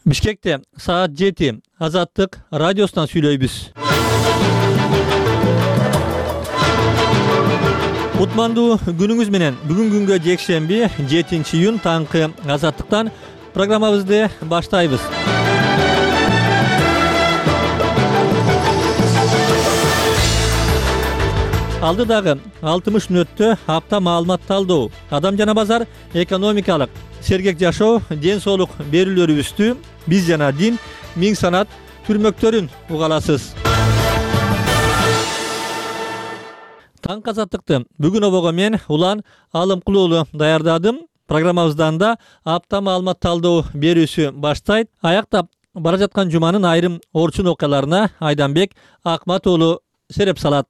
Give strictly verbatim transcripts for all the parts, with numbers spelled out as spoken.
Бишкекте саат жети Азаттык радиосунан сүйлөйбүз. Утмандуу күнүңүз менен бүгүн күнгө жекшемби жетинчи июнь таңкы Азаттыктан программабызды баштайбыз. Алдыдагы алтымыш мүнөттө апта маалымат талдоо, адам жана базар, экономикалык, сергек жашоо, ден соолук берүүлөрүбүздү биз жана дин, миң санат түрмөктөрүн уга аласыз. Таң Азаттыкты бүгүн обого мен Улан Алымкулуу даярдадым. Программабыздан да апта маалымат талдоо берүүсү баштайт. Аяктап бара жаткан жуманын айрым орчун окуяларына Айданбек Акмат уулу сереп салат.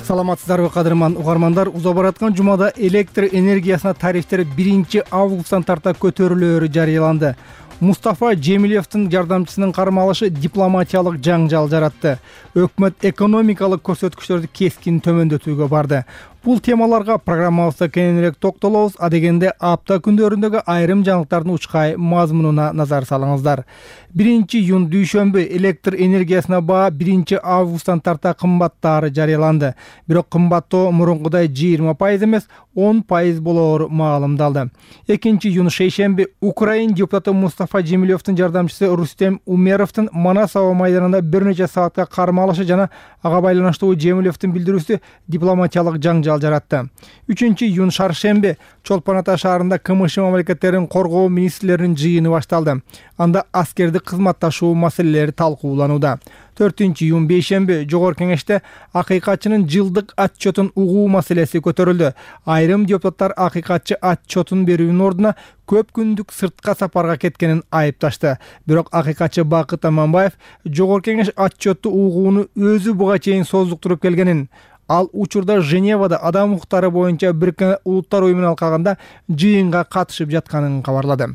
Саламатсыздарбы кадырман угармандар, уза бараткан жумада электр энергиясына тарифтер биринчи августтан тарта көтөрүлөөрү жарыяланды. Мустафа Жемилевдин жардамчысынын кармалышы дипломатиялык жаңжал жаратты. Өкмөт экономикалык көрсөткүчтөрдү кескин төмөндөтүүгө барды. Бул темаларга программабызда кененирээк токтолобуз, а дегенде апта күндөрүндөгү айрым жаңылыктардын учкай мазмунуна назар салыңыздар. биринчи июнь дүйшөмбү электр энергиясына баа биринчи августтан тарта кымбаттаары жарыяланды. Бирок кымбаттоо мурункудай жыйырма пайыз эмес, он пайыз болоору маалымдалды. экинчи июнь шейшемби Украин депутаты Мустафа Жемилевдин жардамчысы Рустем Умеровдун Манас аба майданында бир нече саатка кармалышы жана ага байланыштуу Жемилевдин билдирүүсү дипломатиялык жаңжал жаратты. үчүнчү июнь шаршемби Чолпон Ата шаарында КМШ мамлекеттерин коргоо министрлеринин жыйыны башталды. Анда аскерди кызматташуу маселелери талкууланууда. төртүнчү июнь бейшемби Жогорку Кеңеште акыйкатчынын жылдык отчетун угуу маселеси көтөрүлдү. Айрым депутаттар акыйкатчы отчетун берүүнүн ордуна көп күндүк сыртка сапарга кеткенин айыпташты. Бирок акыйкатчы Бакыт Аманбаев Жогорку Кеңеш отчетту угууну өзү буга чейин создуктуруп келгенин, ал учурда Женевада адам укуктары боюнча Бириккен Улуттар уюмунун алкагында жыйынга катышып жатканын кабарлады.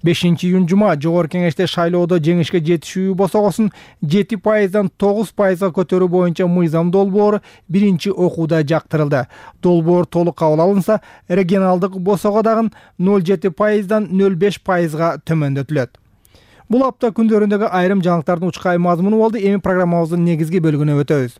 бешинчи июнь жума Жогорку Кеңеште шайлоодо жеңишке жетишүү босогосун жети пайыздан тогуз пайызга көтөрүү боюнча мыйзам долбоору биринчи окууда жактырылды. Долбоор толук кабыл алынса, регионалдык босого дагы ноль жети пайыздан ноль беш пайызга төмөндөтүлөт. Бул апта күндөрүндөгү айрым жаңылыктардын учкай мазмуну болду. Эми программабыздын негизги бөлүгүнө өтөбүз.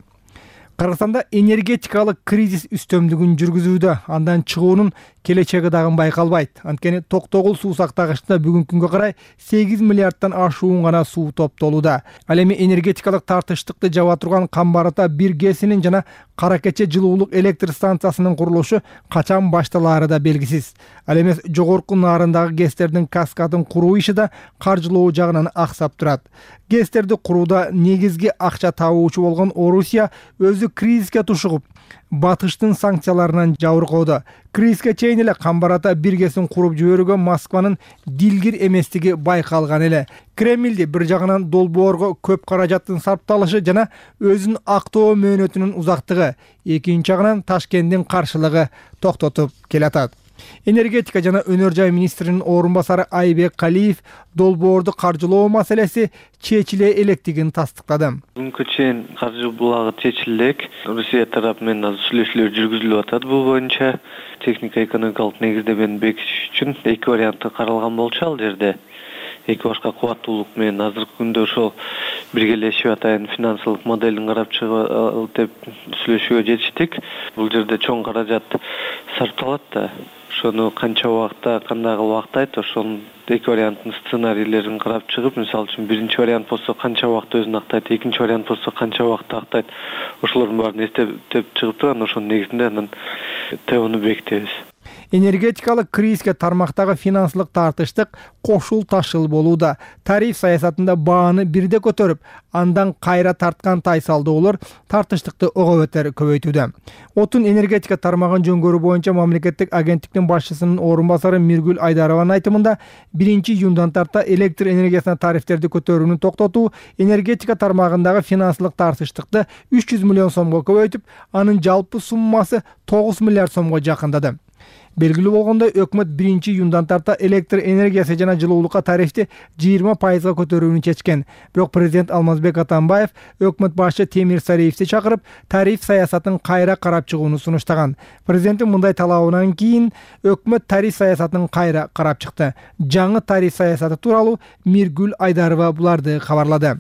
Кыргызстанда энергетикалык кризис үстөмдүгүн жүргүзүүдө, андан чыгуунун келечеги дагы байкалбайт. Анткени Токтогул суу сактагычында бүгүнкү күнгө карай сегиз миллиардтан ашуун гана суу топтолууда. Ал эми энергетикалык тартыштыкты жаба турган Камбар Ата бир гэсинин жана Кара Кече жылуулук электр станциясынын курулушу качан башталаары да белгисиз. Ал эмес жогорку нарындагы гэстердин каскадын куруу иши да каржылоо жагынан аксап турат. Гэстерди курууда негизги акча табуучу болгон Орусия өзү кризиске тушугуп, батыштын санкцияларынан жабыркоодо. Кризиске чейин эле Камбар Ата бир гэсин куруп жиберүүгө Москванын дилгир эместиги байкалган эле. Кремлди бир жагынан долбоорго көп каражаттын сарпталышы жана өзүн актоо мөөнөтүнүн узактыгы, экинчи жагынан Ташкенттин каршылыгы токтотуп келатат. Энергетика жана өнөр жай министринин орун басары Айбек Калиев долбоорду каржылоо маселеси чечиле электигин тастыктады. Бүгүнкү чейин каржы булагы чечиле элек. Русия тарапы менен азыр сүйлөшүүлөр жүргүзүлүп атат. Бул боюнча техника экономикалык негиздемени бекитиш үчүн эки варианты каралган болчу ал жерде. Эки башка кубаттуулук менен азыркы күндө ошол биргелешип атайын финансылык моделин карап чыгып деп сүйлөшүүгө жетиштик. Бул жерде чоң каражат сарпталат да. Ошону канча убакта, кандай убакта айтып, ошол эки варианттын сценарийлерин карап чыгып, мисалы үчүн биринчи вариант болсо канча убакта өзүн актайт, экинчи вариант болсо канча убакта актайт. Ошолордун баарын эстеп чыгып турган, ошонун негизинде анан тебуну бекитебиз. Энергетикалык кризиске тармактагы финансылык тартыштык кошул ташыл болууда. Тариф саясатында бааны бирде көтөрүп, андан кайра тарткан тайсалдоолор тартыштыкты ого бетер көбөйтүүдө. Отун энергетика тармагын жөнгөрүү боюнча мамлекеттик агенттиктин башчысынын орун басары Миргүл Айдарованын айтымында биринчи июндан тарта электр энергиясына тарифтерди көтөрүүнү токтотуу энергетика тармагындагы финансылык тартыштыкты үч жүз миллион сомго көбөйтүп, анын жалпы суммасы тогуз миллиард сомго жакындады. Белгилүү болгондой, өкмөт биринчи июндан тарта электр энергиясы жана жылуулукка тарифти жыйырма пайызга көтөрүүнү чечкен. Бирок президент Алмазбек Атамбаев өкмөт башчы Темир Сариевди чакырып, тариф саясатын кайра карап чыгууну сунуштаган. Президенттин мындай талабынан кийин өкмөт тариф саясатын кайра карап чыкты. Жаңы тариф саясаты тууралуу Миргүл Айдарова буларды кабарлады.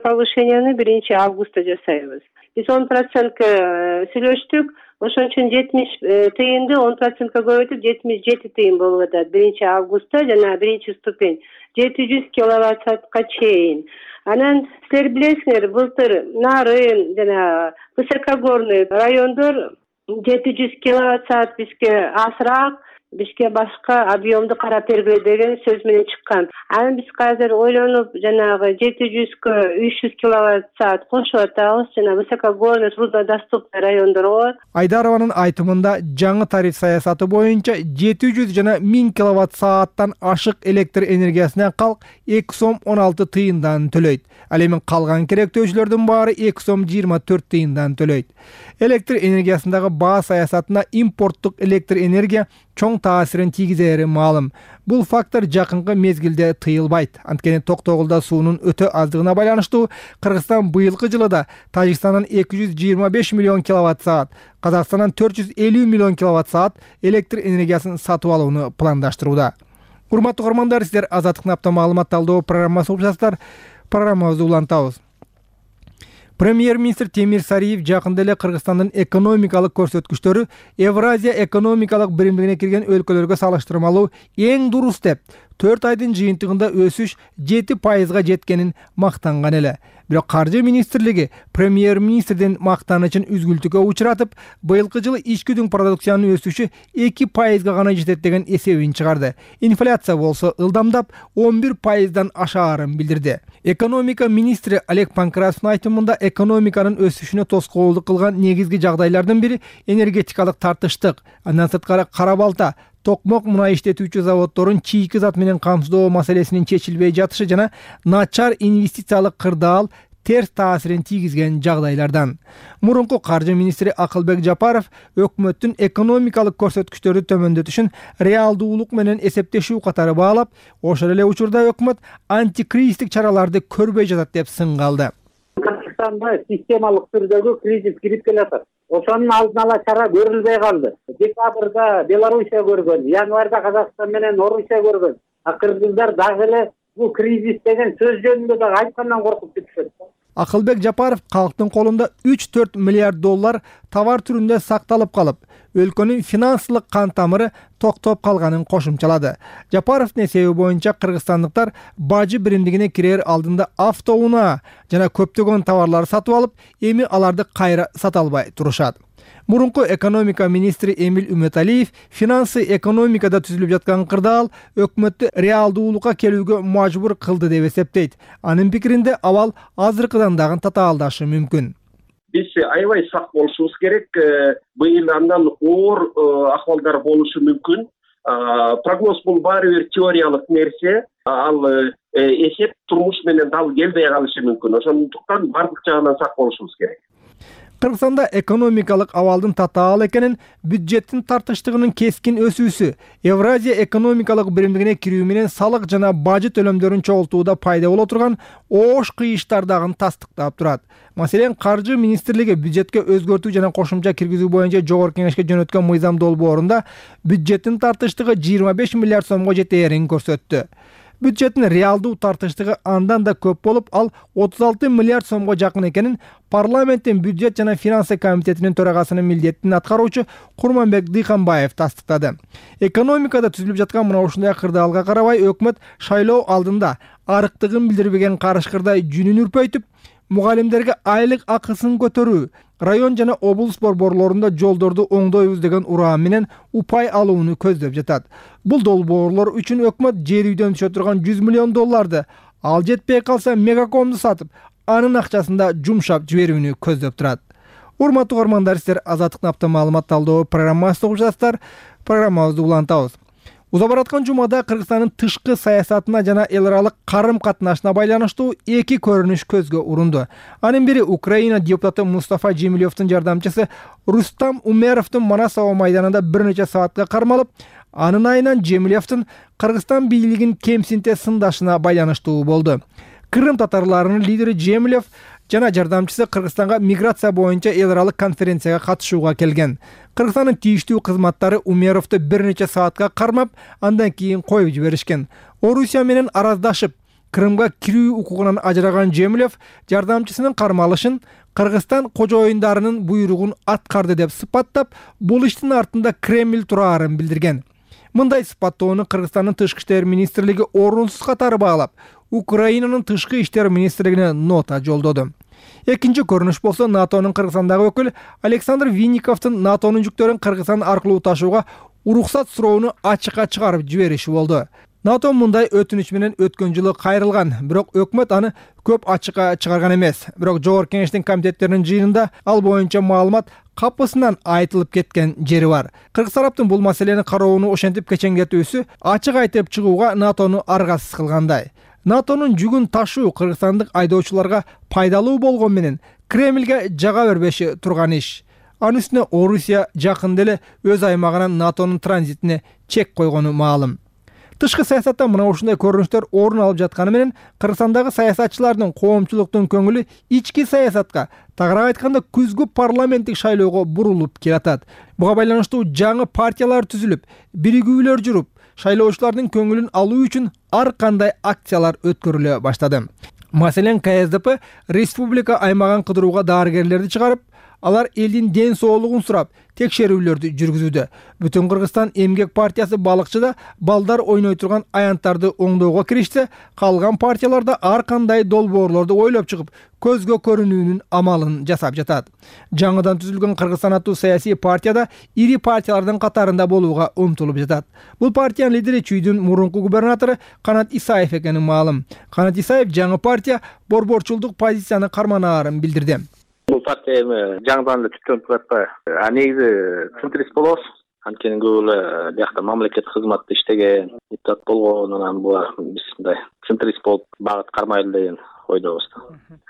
Повышенияны биринчи августта жасайбыз. Биз он процентке сүйлөштүк. Ошон үчүн жетимиш тыйынды он процентке көбөйтүп жетимиш жети тыйын болуп атат биринчи августта жана биринчи ступень жети жүз киловатт саатка чейин. Анан силер билесиңер, былтыр Нарын жана Высокогорный райондор жети жүз киловатт саат бизге азыраак, бизге башка объемду карап бергиле деген сөз менен чыккан. Анан биз азыр ойлонуп жанагы жети жүзгө үч жүз киловатт саат кошуп атабыз жана Высокогорный, труднодоступный райондорго. Айдарованын айтымында жаңы тариф саясаты боюнча жети жүз жана миң киловатт сааттан ашык электр энергиясына калк эки сом он алты тыйындан төлөйт. Ал эми калган керектөөчүлөрдүн баары эки сом жыйырма төрт тыйындан төлөйт. Электр энергиясындагы баа саясатына импорттук электр энергия чоң таасирин тийгизери маалым. Бул фактор жакынкы мезгилде тыйылбайт. Анткени Токтогулда суунун өтө аздыгына байланыштуу Кыргызстан быйылкы жылда Тажикстандан эки жүз жыйырма беш миллион киловатт саат, Казакстандан төрт жүз элүү миллион киловатт саат электр энергиясын сатып алууну пландаштырууда. Урматтуу көрөрмандар, сиздер Азаттыктын апта маалымат талдоо программасы угуп жатасыздар. Программабызды улантабыз. Премьер-министр Темир Сариев жакында эле Кыргызстандын экономикалык көрсөткүчтөрү Евразия экономикалык биримдигине кирген өлкөлөргө салыштырмалуу эң дурус деп, төрт айдын жыйынтыгында өсүш жети пайызга жеткенин мактанган эле. Бирок Каржы министрлиги премьер-министрдин мактанычын үзгүлтүккө учуратып, быйылкы жылы ички дүң продукциянын өсүшү эки пайызга гана жетет деген эсебин чыгарды. Инфляция болсо ылдамдап он бир пайыздан ашаарын билдирди. Экономика министри Олег Панкратовдун айтымында экономиканын өсүшүнө тоскоолдук кылган негизги жагдайлардын бири энергетикалык тартыштык. Андан сырткары кара балта, токмок мунай иштетүүчү заводдорун чийки зат менен камсыздоо маселесинин чечилбей жатышы жана начар инвестициялык кырдаал терс таасирин тийгизген жагдайлардан. Мурунку каржы министри Акылбек Жапаров өкмөттүн экономикалык көрсөткүчтөрдү төмөндөтүшүн реалдуулук менен эсептешүү катары баалап, ошол эле учурда өкмөт антикризистик чараларды көрбөй жатат деп сынга алды. Кыргызстанда системалык түрдөгү кризис кирип келатат. Ошонун алдын ала чара көрүлбөй калды. Декабрда Белоруссия көргөн, январда Казакстан менен Орусия көргөн. А кыргыздар дагы эле бул кризис деген сөз жөнүндө дагы айткандан коркуп кетишет. Акылбек Жапаров калктын колунда үч төрт миллиард доллар товар түрүндө сакталып калып, өлкөнүн финансылык кан тамыры токтоп калганын кошумчалады. Жапаровдун эсеби боюнча кыргызстандыктар бажы биримдигине кирер алдында автоунаа жана көптөгөн товарлар сатып алып, эми аларды кайра сата албай турушат. Мурунку экономика министри Эмиль Үмөталиев финансы экономикада түзүлүп жаткан кырдаал өкмөттү реалдуулукка келүүгө мажбур кылды деп эсептейт. Анын пикиринде абал азыркыдан дагы татаалдашы мүмкүн. Биз аябай сак болушубуз керек. Быйыл андан оор акыбалдар болушу мүмкүн. Прогноз бул баары бир теориялык нерсе. Ал эсеп турмуш менен дал келбей калышы мүмкүн. Ошондуктан бардык жагынан сак болушубуз керек. Кыргызстанда экономикалык абалдын татаал экенин, бюджеттин тартыштыгынын кескин өсүүсү, Евразия экономикалык биримдигине кирүү менен салык жана бажы төлөмдөрүн чогултууда пайда боло турган оош кыйыштар дагы тастыктап турат. Маселен, Каржы министрлиги бюджетке өзгөртүү жана кошумча киргизүү боюнча жогорку кеңешке жөнөткөн мыйзам долбоорунда бюджеттин тартыштыгы жыйырма беш миллиард сомго жетээрин көрсөттү. Бюджеттин реалдуу тартыштыгы андан да көп болуп, ал отуз алты миллиард сомго жакын экенин парламенттин бюджет жана финансы комитетинин төрагасынын милдетин аткаруучу Курманбек Дыйканбаев тастыктады. Экономикада түзүлүп жаткан мына ушундай кырдаалга карабай, өкмөт шайлоо алдында арыктыгын билдирбеген карышкырдай жүнүн үрпөйтүп, мугалимдерге айлык акысын көтөрүү, район жана облус борборлорунда жолдорду оңдойбуз деген ураан менен упай алууну көздөп жатат. Бул долбоорлор үчүн өкмөт жер үйдөн түшө турган жүз миллион долларды, ал жетпей калса мегакомду сатып, анын акчасында жумшап жиберүүнү көздөп турат. Урматтуу көрөрмандар, сиздер Азаттыктын апта маалымат талдоо программасын угуп жатасыздар. Программабызды улантабыз. Уза бараткан жумада Кыргызстандын тышкы саясатына жана эл аралык карым катнашына байланыштуу эки көрүнүш көзгө урунду. Анын бири Украина депутаты Мустафа Жемилевдин жардамчысы Рустам Умеровдун Манасова майданында бир нече саатка кармалып, анын айынан Жемилевдин Кыргызстан бийлигин кемсинте сындашына байланыштуу болду. Кырым татарларынын лидери Жемилев жана жардамчысы Кыргызстанга миграция боюнча эл аралык конференцияга катышууга келген. Кыргызстандын тийиштүү кызматтары Умеровду бир нече саатка кармап, андан кийин коюп жиберишкен. Орусия менен араздашып, Крымга кирүү укугунан ажыраган Жемилев жардамчысынын кармалышын Кыргызстан кожоюндарынын буйругун аткарды деп сыпаттап, бул иштин артында Кремль турарын билдирген. Мындай сыпаттоону Кыргызстандын тышкы иштер министрлиги орунсуз катары баалап, Украинанын тышкы иштер министрлигине нота жолдоду. Экинчи көрүнүш болсо НАТОнун Кыргызстандагы өкүлү Александр Винниковдун НАТОнун жүктөрүн Кыргызстан аркылуу ташууга уруксат суроону ачыкка чыгарып жибериши болду. НАТО мындай өтүнүч менен өткөн жылы кайрылган, бирок өкмөт аны көп ачыкка чыгарган эмес. Бирок Жогорку Кеңештин комитеттеринин жыйынында ал боюнча маалымат капысынан айтылып кеткен жери бар. Кыргыз тараптын бул маселени кароону ошентип кечеңдетүүсү ачык айтып чыгууга НАТОну аргасыз кылгандай. НАТОнун жүгүн ташуу кыргызстандык айдоочуларга пайдалуу болгон менен Кремльге жага бербеши турган иш. Анын үстүнө Орусия жакында эле өз аймагынан НАТОнун транзитине чек койгону маалым. Тышкы саясатта мына ушундай көрүнүштөр орун алып жатканы менен Кыргызстандагы саясатчылардын коомчулуктун көңүлү ички саясатка, тагыраак айтканда күзгү парламенттик шайлоого бурулуп келатат. Буга байланыштуу жаңы партиялар түзүлүп, биригүүлөр жүрүп, шайлоочулардын көңүлүн алуу үчүн ар кандай акциялар өткөрүлө баштады. Маселен, КСДП республика аймагын кыдырууга дарыгерлерди чыгарып, алар элдин ден соолугун сурап, текшерүүлөрдү жүргүзүүдө. Бүтүн Кыргызстан эмгек партиясы балыкчыда балдар ойной турган аянттарды оңдоого киришсе, калган партияларда ар кандай долбоорлорду ойлоп чыгып, көзгө көрүнүүнүн амалын жасап жатат. Жаңыдан түзүлгөн Кыргызстан аттуу саясий партияда ири партиялардын катарында болууга умтулуп жатат. Бул партиянын лидери Чүйдүн мурунку губернатору Канат Исаев экени маалым. Канат Исаев жаңы партия борборчулдук позицияны карманаарын билдирди. Бул партия эми жаңыдан эле түптөнүп атпайбы? А негизи центрист болобуз. Анткени көп эле биякта мамлекеттик кызматта иштеген, депутат болгон, анан булар биз мындай центрист болуп багыт кармайлы деген ойдобуз.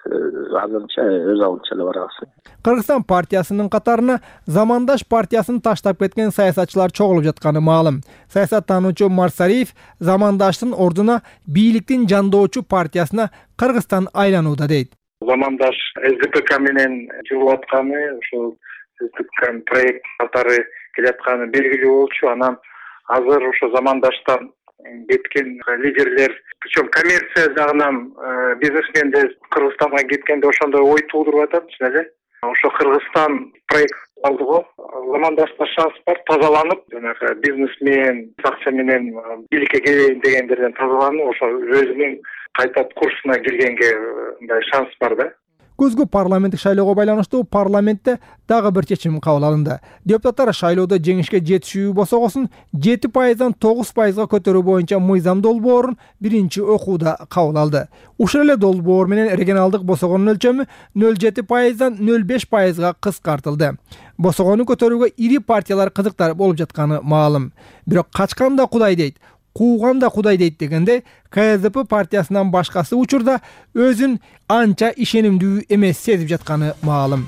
Азырынча өз алдынча эле барабыз. Кыргызстан партиясынын катарына замандаш партиясын таштап кеткен саясатчылар чогулуп жатканы маалым. Саясаттануучу Марсариев замандаштын ордуна бийликтин жандоочу партиясына Кыргызстан айланууда дейт. Замандаш СДПК менен жүрүп атканы, ошол СДПК проект катары келатканы белгилүү болчу. Анан азыр ошо замандаштан кеткен лидерлер, причем коммерция жагынан бизнесмендер Кыргызстанга кеткенде ошондой ой туудуруп атат, чын эле. Ошо Кыргызстан проект алды го. Замандашта шанс бар, тазаланып, жанагы бизнесмен, акча менен бийликке келейин дегендерден тазаланып, ошо өзүнүн кайта курсуна киргенге мындай шанс бар да. Күзгү парламенттик шайлоого байланыштуу парламентте дагы бир чечим кабыл алынды. Депутаттар шайлоодо жеңишке жетишүү босогосун жети пайыздан тогуз пайызга көтөрүү боюнча мыйзам долбоорун биринчи окууда кабыл алды. Ушул эле долбоор менен регионалдык босогонун өлчөмү нөл жети пайыздан нөл беш пайызга кыскартылды. Босогону көтөрүүгө ири партиялар кызыктар болуп жатканы маалым. Бирок качкан да Кудай дейт, кууган да Кудай дейт дегенде КСДП партиясынан башкасы учурда өзүн анча ишенимдүү эмес сезип жатканы маалым.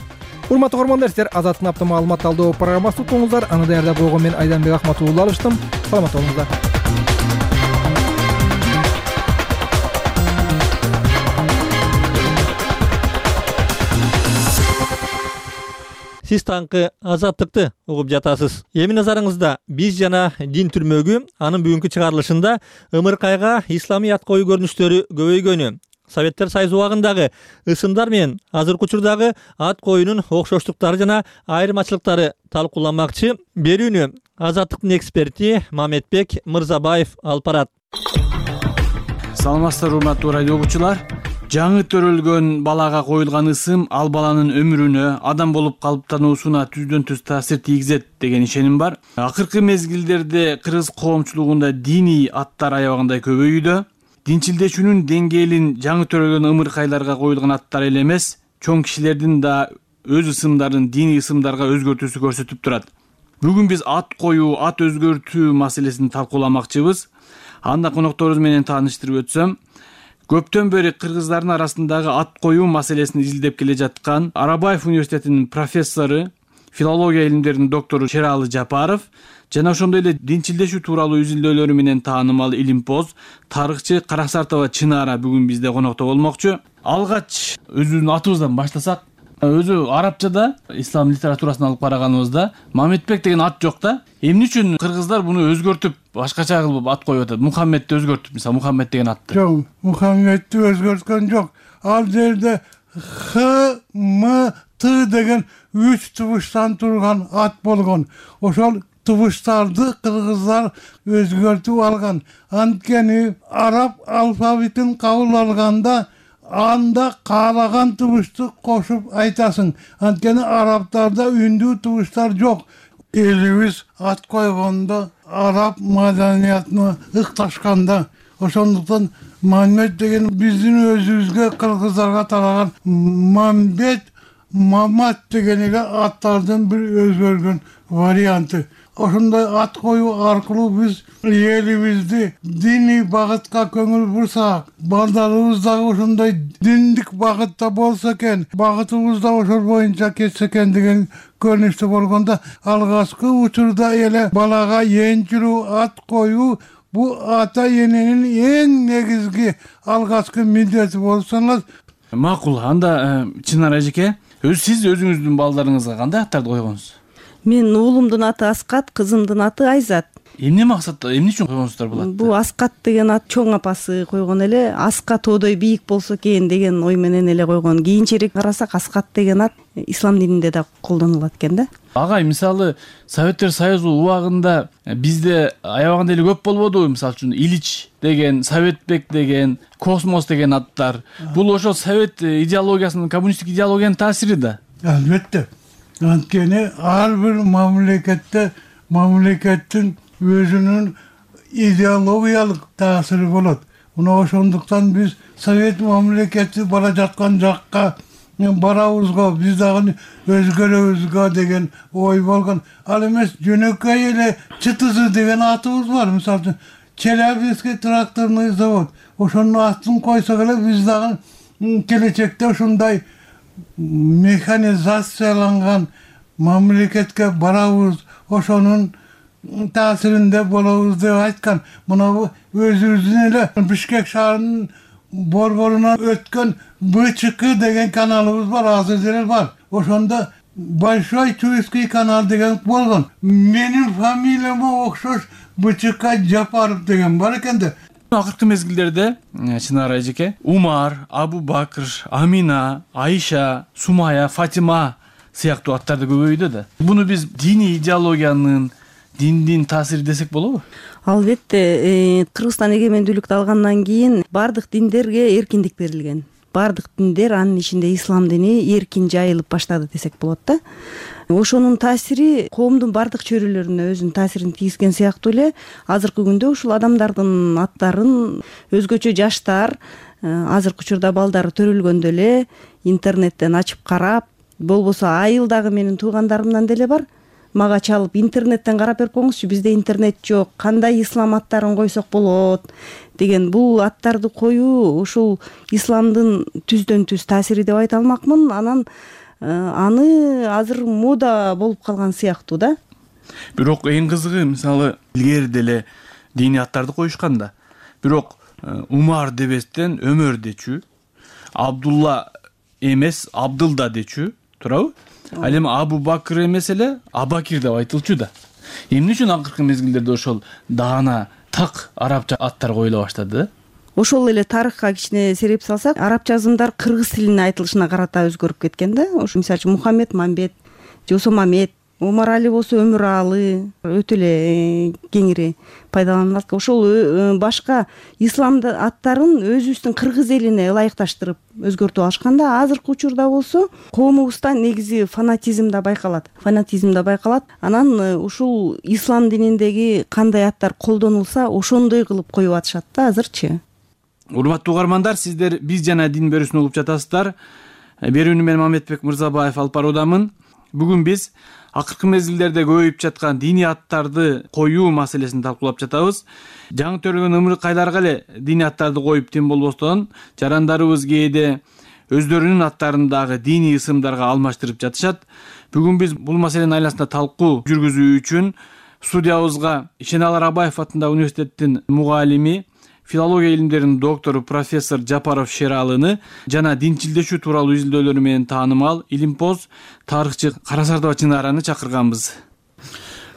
Урматтуу көрөрмандар, сиздер Азаттык апта маалымат талдоо программасын уктуңуздар. Аны даярдап койгон мен Айданбек Ахматулла алыштым. Саламат болуңуздар. Сиз таңкы Азаттыкты угуп жатасыз. Эми назарыңызда биз жана дин түрмөгү анын бүгүнкү чыгарылышында ымыркайга исламий ат коюу көрүнүштөрү көбөйгөнү, Советтер Союзу убагындагы ысымдар менен азыркы учурдагы ат коюунун окшоштуктары жана айырмачылыктары талкууламакчы. Берүүнү Азаттыктын эксперти Мамедбек Мырзабаев алып барат. Саламатсыздар урматтуу радио угуучулар. Жаңы төрөлгөн балага коюлган ысым ал баланын өмүрүнө, адам болуп калыптануусуна түздөн түз таасир тийгизет деген ишеним бар. Акыркы мезгилдерде кыргыз коомчулугунда диний аттар аябагандай көбөйүүдө. Динчилдешүүнүн деңгээлин жаңы төрөлгөн ымыркайларга коюлган аттар эле эмес, чоң кишилердин да өз ысымдарын диний ысымдарга өзгөртүүсү көрсөтүп турат. Бүгүн биз ат коюу, ат өзгөртүү маселесин талкууламакчыбыз. Анда конокторубуз менен тааныштырып өтсөм, көптөн бери кыргыздардын арасындагы ат коюу маселесин изилдеп келе жаткан Арабаев университетинин профессору, филология илимдеринин доктору Шералы Жапаров жана ошондой эле динчилдешүү тууралуу изилдөөлөрү менен таанымал илимпоз, тарыхчы Караксартова Чынара бүгүн бизде конокто болмокчу. Алгач өзүбүздүн атыбыздан баштасак, өзү арабчада ислам литературасын алып караганыбызда Мамедбек деген ат жок да. Эмне үчүн кыргыздар буну өзгөртүп, башкача кылып ат коюп атат? Мухаммедти өзгөртүп, мисалы Мухаммед деген атты. Жок, Мухаммедти өзгөрткөн жок. Ал жерде Х, М, Т деген үч тубуштан турган ат болгон. Ошол тубуштарды кыргыздар өзгөртүп алган. Анткени араб алфавитин кабыл алганда анда каалаган тубушту кошуп айтасың. Анткени арабтарда үндүү тубуштар жок. Элибиз ат койгондо араб маданиятына ыкташканда, ошондуктан Мамед деген биздин өзүбүзгө кыргыздарга тараган Мамбет, Мамат деген эле аттардын бир өзгөргөн варианты. Ошондой ат коюу аркылуу биз элибизди диний багытка көңүл бурсак, балдарыбыз дагы ошондой диндик багытта болсо экен, багытыбыз да ошол боюнча кетсе экен деген көрүнүштө болгондо, алгачкы учурда эле балага энчилүү ат коюу бу ата эненин эң негизги алгачкы милдети болуп саналат. Макул. Анда Чынара эжеке, өз сиз өзүңүздүн балдарыңызга кандай аттарды койгонсуз? Мен уулумдун аты Аскат, кызымдын аты Айзат. Эмне максатта, эмне үчүн койгонсуздар бул атты? Бул Аскат деген ат чоң апасы койгон эле, Аска тоодой бийик болсо экен деген ой менен эле койгон. Кийинчерээк карасак Аскат деген ат ислам дининде да колдонулат экен да. Агай, мисалы Советтер Союзу убагында бизде аябаганда эле көп болбодубу? Мисалы үчүн Илич деген, Советбек деген, Космос деген аттар. Бул ошол совет идеологиясынын, коммунисттик идеологиянын таасири да. Албетте. Анткени ар бир мамлекетте мамлекеттин өзүнүн идеологиялык таасири болот. Мына ошондуктан биз совет мамлекети бара жаткан жакка барабызго, биз дагы өзгөрөбүзгө деген ой болгон. Ал эмес жөнөкөй эле ЧТЗ деген атыбыз бар. Мисалы үчүн Челябинский тракторный завод. Ошонун атын койсок эле биз дагы келечекте ошондой механизацияланган мамлекетке барабыз, ошонун таасиринде болобуз деп айткан. Мына өзүбүздүн эле Бишкек шаарынын борборунан өткөн БЧК деген каналыбыз бар, азыр деле бар. Ошондо Большой Чуйский канал деген болгон. Менин фамилияма окшош БЧК Жапаров деген бар экен да. Акыркы мезгилдерде Чынара эжеке, Умар, Абу Бакр, Амина, Айша, Сумая, Фатима сыяктуу аттарды көбөйдү да. Буну биз диний идеологиянын, диндин таасири десек болобу? Албетте, Кыргызстан эгемендүүлүктү алгандан кийин бардык диндерге эркиндик берилген. Бардык диндер, анын ичинде ислам дини эркин жайылып баштады десек болот да. Ошонун таасири коомдун бардык чөйрөлөрүнө өзүнүн таасирин тийгизген сыяктуу эле азыркы күндө ушул адамдардын аттарын өзгөчө жаштар, азыркы учурда балдары төрөлгөндө эле интернеттен ачып карап, болбосо айыл дагы менин туугандарымдан деле бар. Мага чалып интернеттен карап берип коюңузчу, бизде интернет жок, кандай ислам аттарын койсок болот деген. Бул аттарды коюу ушул исламдын түздөн түз таасири деп айта алмакмын. Анан аны азыр мода болуп калган сыяктуу да. Бирок эң кызыгы, мисалы илгери деле диний аттарды коюшкан да. Бирок Умар дебестен Өмөр дечү, Абдулла эмес Абдылда дечү, туурабы? Ал эми Абу Бакр эмес эле Абакир деп айтылчу да. Эмне үчүн акыркы мезгилдерде ошол даана так арабча аттар коюла баштады? Ошол эле тарыхка кичине сереп салсак, арабча азымдар кыргыз тилине айтылышына карата өзгөрүп кеткен да. Ошо мисалы үчүн Мухаммед Мамбет, жосо Мамет, Умар Али болсо Өмүралы өтө эле кеңири пайдаланылат. Ошол башка исламды аттарын өзүбүздүн кыргыз элине ылайыкташтырып өзгөртүп алышканда, азыркы учурда болсо коомубузда негизи фанатизм да байкалат. Фанатизм да байкалат. Анан ушул ислам дининдеги кандай аттар колдонулса, ошондой кылып коюп атышат да азырчы. Урматтуу угармандар, сиздер биз жана дин берүүсүн угуп жатасыздар. Берүүнү мен Мамедбек Мырзабаев алып баруудамын. Бүгүн биз акыркы мезгилдерде көбөйүп жаткан диний аттарды коюу маселесин талкуулап жатабыз. Жаңы төрөлгөн ымыркайларга эле диний аттарды коюп тим болбостон жарандарыбыз кээде өздөрүнүн аттарын дагы диний ысымдарга алмаштырып жатышат. Бүгүн биз бул маселенин айласында талкуу жүргүзүү үчүн студиябызга Ишеналы Рабаев атындагы университеттин мугалими, филология илимдеринин доктору профессор Жапаров Шералыны жана динчилдешүү тууралуу изилдөөлөрү менен таанымал илимпоз тарыхчы Карасардова Чынараны чакырганбыз.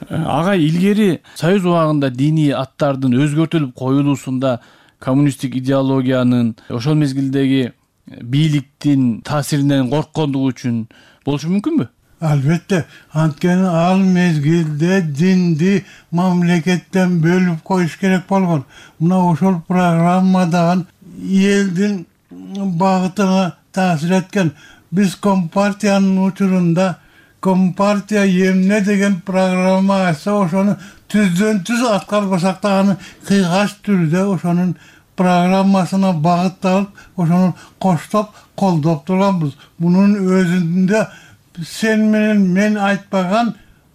Агай, илгери Союз убагында диний аттардын өзгөртүлүп коюлуусунда коммунисттик идеологиянын, ошол мезгилдеги бийликтин таасиринен корккондугу үчүн болушу мүмкүнбү? Албетте, анткени ал мезгилде динди мамлекеттен бөлүп коюш керек болгон. Мына ошол программадагы элдин багытына таасир эткен. Биз Компартиянын учурунда Компартия эмне деген программа айтса, ошону түздөн түз аткарбасак дагы кыйгач түрдө ошонун программасына багытталып, ошону коштоп, колдоп турганбыз. Мунун өзүндө сен менен мен айтпаган,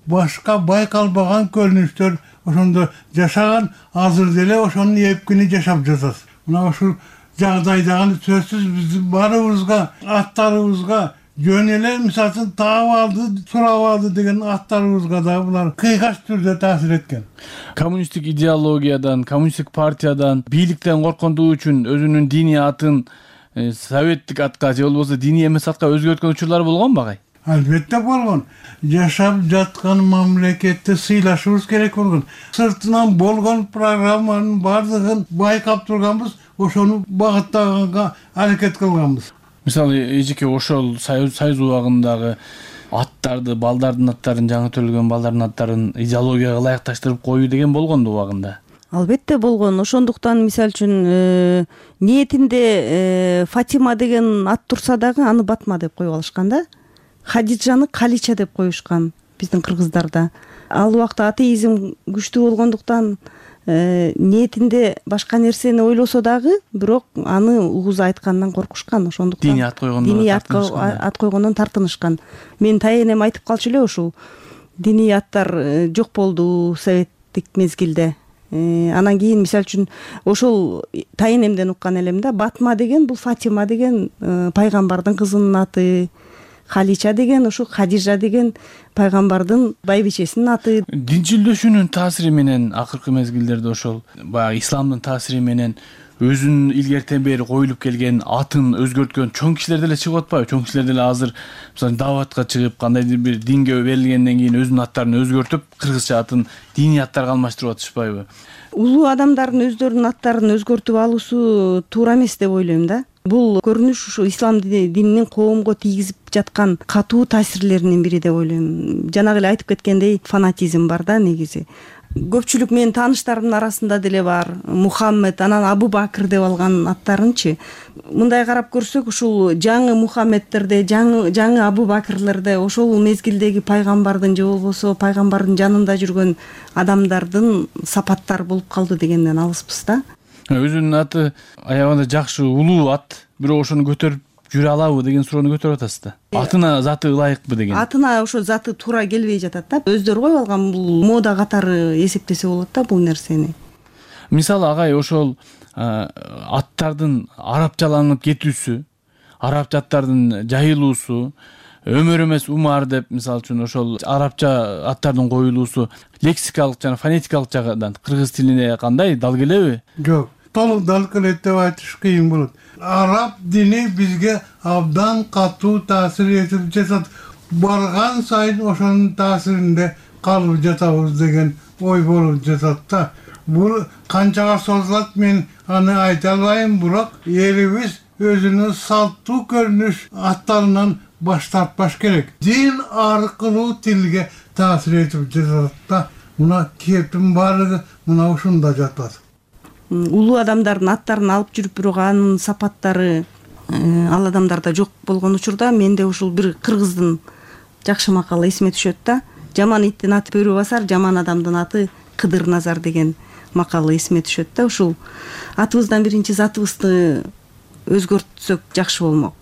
башка байкалбаган көрүнүштөр ошондо жашаган, азыр деле ошонун эпкини жашап жатат. Мына ушул жагдайдагы сөзсүз биздин баарыбызга, аттарыбызга жөн эле мисалы таап алды, сурап алды деген аттарыбызга да булар кыйгач түрдө таасир эткен. Коммунисттик идеологиядан, коммунисттик партиядан, бийликтен корккондугу үчүн өзүнүн диний атын советтик атка же болбосо диний эмес атка өзгөрткөн учурлар болгонбу агай? Албетте болгон. Жашап жаткан мамлекетти сыйлашыбыз керек болгон. Сыртынан болгон программанын бардыгын байкап турганбыз, ошону багыттаганга аракет кылганбыз. Мисалы, эжеке ошол Союз убагындагы аттарды, балдардын аттарын, жаңы төрөлгөн балдардын аттарын идеологияга ылайыкташтырып коюу деген болгонду убагында? Албетте болгон. Ошондуктан мисалы үчүн ниетинде Фатима деген ат турса дагы аны Батма деп коюп алышкан да. Хадиджаны Калича деп коюшкан биздин кыргыздарда. Ал убакта атеизм күчтүү болгондуктан ниетинде башка нерсени ойлосо дагы, бирок аны угуз айткандан коркушкан. Ошондуктан диний ат койгондон диний ат койгондон тартынышкан. Менин тайенем айтып калчу эле ушул. Диний аттар жок болду советтик мезгилде. Анан кийин мисалы үчүн ошол тайенемден уккан элем да, Батма деген бул Фатима деген пайгамбардын кызынын аты, Халича деген ушул Хадижа деген пайгамбардын байбичесинин аты. Динчилдешүүнүн таасири менен акыркы мезгилдерде ошол баягы исламдын таасири менен өзүнүн илгертен бери коюлуп келген атын өзгөрткөн чоң кишилер деле чыгып атпайбы? Чоң кишилер деле азыр мисалы даватка чыгып, кандайдыр бир динге берилгенден кийин өзүнүн аттарын өзгөртүп, кыргызча атын диний аттарга алмаштырып атышпайбы? Улуу адамдардын өздөрүнүн аттарын өзгөртүп алуусу туура эмес деп ойлойм да. Бул көрүнүш ушу ислам дининин коомго тийгизип жаткан катуу таасирлеринин бири деп ойлойм. Жанагы эле айтып кеткендей фанатизм бар да негизи. Көпчүлүк менин тааныштарымдын арасында деле бар. Мухаммед, анан Абу Бакыр деп алган аттарынчы. Мындай карап көрсөк, ушул жаңы Мухаммедтерде, жаңы жаңы Абу Бакырлерде ошол мезгилдеги пайгамбардын же болбосо пайгамбардын жанында жүргөн адамдардын сапаттары болуп калды дегенден алыспыз да. Өзүнүн аты аябагында жакшы, улуу ат, бирок ошону көтөрүп жүрө алабы деген суроону көтөрүп атасыз да. Атына заты ылайыкпы деген. Атына ошо заты туура келбей жатат да. Өздөрү коюп алган бул мода катары эсептесе болот да бул нерсени. Мисалы агай, ошол аттардын арабчаланып кетүүсү, арабча аттардын жайылуусу, Өмөр эмес Умар деп мисалы үчүн ошол арабча аттардын коюлуусу лексикалык жана фонетикалык жагынан кыргыз тилине кандай дал келеби? Жок, толук дал келет деп айтыш кыйын болот. Араб дини бизге абдан катуу таасир этип жатат. Барган сайын ошонун таасиринде калып жатабыз деген ой болуп жатат да. Бул канчага созулат мен аны айта албайм, бирок элибиз өзүнүн салттуу көрүнүш аттарынан баш тартпаш керек. Дин аркылуу тилге таасир этип жатат да. Мына кептин баардыгы мына ушунда жатат. Улуу адамдардын аттарын алып жүрүп, бирок анын сапаттары ал адамдарда жок болгон учурда менде ушул бир кыргыздын жакшы макалы эсиме түшөт да. Жаман иттин аты бөрү басар, жаман адамдын аты Кыдыр Назар деген макалы эсиме түшөт да. Ушул атыбыздан биринчи затыбызды өзгөртсөк жакшы болмок.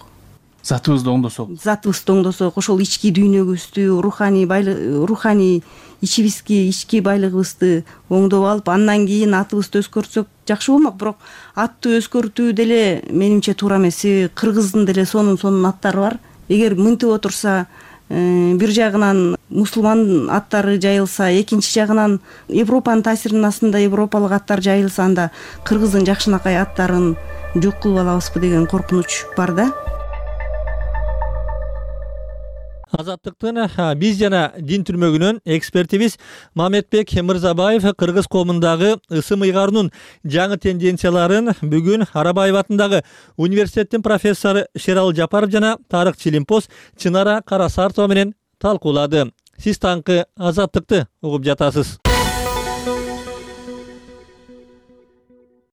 затыбызды оңдосок затыбызды оңдосок, ошол ички дүйнөгүбүздү, руханий байлык, руханий ичибизги, ички байлыгыбызды оңдоп алып, андан кийин атыбызды өзгөртсөк жакшы болмок. Бирок атты өзгөртүү деле менимче туура эмес. Кыргыздын деле сонун сонун аттары бар. Эгер мынтип отурса, бир жагынан мусулман аттары жайылса, экинчи жагынан Европанын таасиринин астында европалык аттар жайылса, анда кыргыздын жакшынакай аттарын жок кылып алабызбы деген коркунуч бар да. Азаттыктын биз жана дин түрмөгүнөн экспертибиз Мамедбек Мырзабаев кыргыз коомундагы ысым ыйгаруунун жаңы тенденцияларын бүгүн Арабаев атындагы университеттин профессору Шерал Жапаров жана Тарык Чилимпоз Чынара Карасартова менен талкуулады. Сиз таңкы Азаттыкты угуп жатасыз.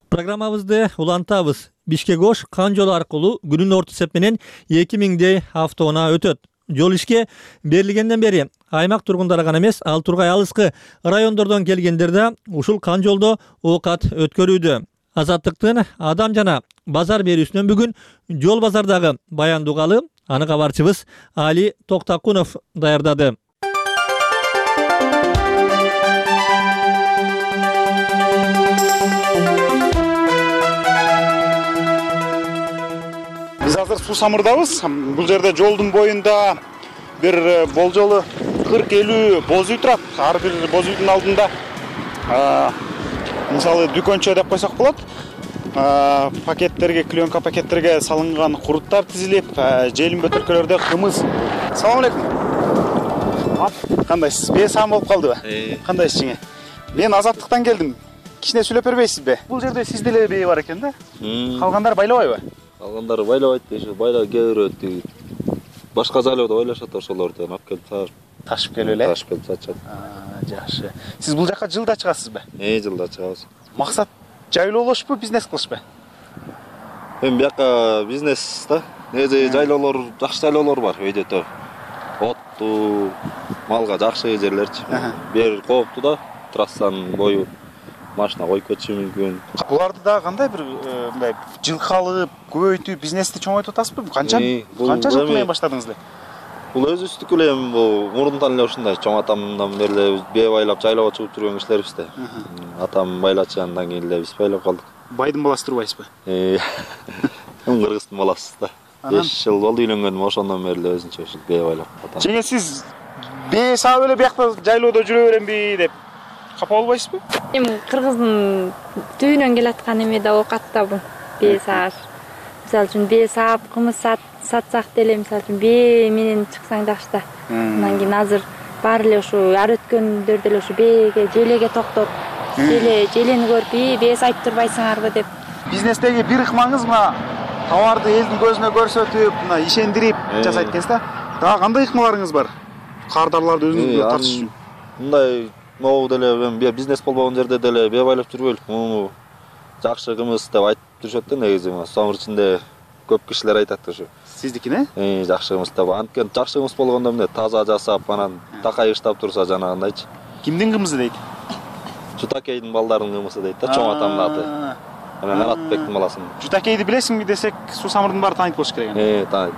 Программабызды улантабыз. Бишкек Ош кан жолу аркылуу күнүн орто эсеп менен эки миңдей автоунаа өтөт. Жол ишке берилгенден бери аймак тургундары гана эмес, ал тургай алыскы райондордон келгендер да ушул кан жолдо оокат өткөрүүдө. Азаттыктын адам жана базар берүүсүнөн бүгүн жол базардагы баяндоо угалы, аны кабарчыбыз Али Токтакунов даярдады. Биз азыр Суу Самырдабыз. Бул жерде жолдун боюнда бир болжолу кырк элүү боз үй турат. Ар бир боз үйдүн алдында мисалы дүкөнчө деп койсок болот. Пакеттерге, клеенка пакеттерге салынган куруттар тизилип, желим бөтөлкөлөрдө кымыз. Салам алейкум. Кандайсыз? Бесам болуп калдыбы? Кандайсыз жеңе? Мен Азаттыктан келдим. Кичине сүйлөп бербейсизби? Бул жерде сиз деле бээ бар экен да? Калгандар байлабайбы? Калгандары байлабайт дейши, байлап келбейт. Башка жайларда байлашат, ошолорду алып келип ташып. Ташып келип эле? Ташып келип сатышат. Жакшы. Сиз бул жака жылда чыгасызбы? Э, жылда чыгабыз. Максат жайлоолошпу, бизнес кылышпы? Эми бияка бизнес да. Неже жайлоолор, жакшы жайлоолор бар өйдөтө. Оттуу, малга жакшы жерлерчи. Бер кооптуу да, трассанын бою машина коюп кетиши мүмкүн. Буларды да кандай бир мындай жылкалып, көбөйтүп, бизнести чоңойтуп атасызбы? Канча канча жыл менен баштадыңыз эле? Бул өзүбүздүкү эле бул мурунтан эле ушундай чоң атамдан бери эле бээ байлап жайлоого чыгып жүргөн кишилербиз да. Атам байлачы, андан кийин эле биз байлап калдык. Байдын баласы турбайсызбы? Э. Кыргыздын баласыз да. беш жыл болду үйлөнгөнүм, ошондон бери эле өзүнчө ушул бээ байлап атам. Жеңе сиз бээ саап эле биякта жайлоодо жүрө беремби деп капа болбойсузбу? Эми кыргыздын түбүнөн келаткан эме да оокат да бул бээ сааш. Мисалы үчүн бээ саап, кымыз сатсак деле, мисалы үчүн бээ менен чыксаң жакшы да. Андан кийин азыр баары эле ушу ар өткөндөр деле ушу бээге, желеге токтоп, желе желени көрүп, "И, бээ сайтып турбайсыңарбы" деп. Бизнестеги бир ыкмаңыз мына товарды элдин көзүнө көрсөтүп, мына ишендирип жасайт экенсиз да. Дагы кандай ыкмаларыңыз бар? Кардарларды өзүңүзгө тартыш. Мындай могу деле бизнес болбогон жерде деле бээ байлап жүрбөйлүк. Муну жакшы кымыз деп айтып жүрүшөт да негизи. Сомур ичинде көп кишилер айтат ушу. Сиздикине? Э, жакшы кымыз деп. Анткени жакшы кымыз болгондо эмне таза жасап, анан такай ыштап турса жанагындайчы. Кимдин кымызы дейт? Жутакейдин балдарынын кымызы дейт да, чоң атамдын аты. Анан Аратбектин баласынын. Жутакейди билесиңби десек, Суу Самырдын баары таанып болуш керек. Э, таанып.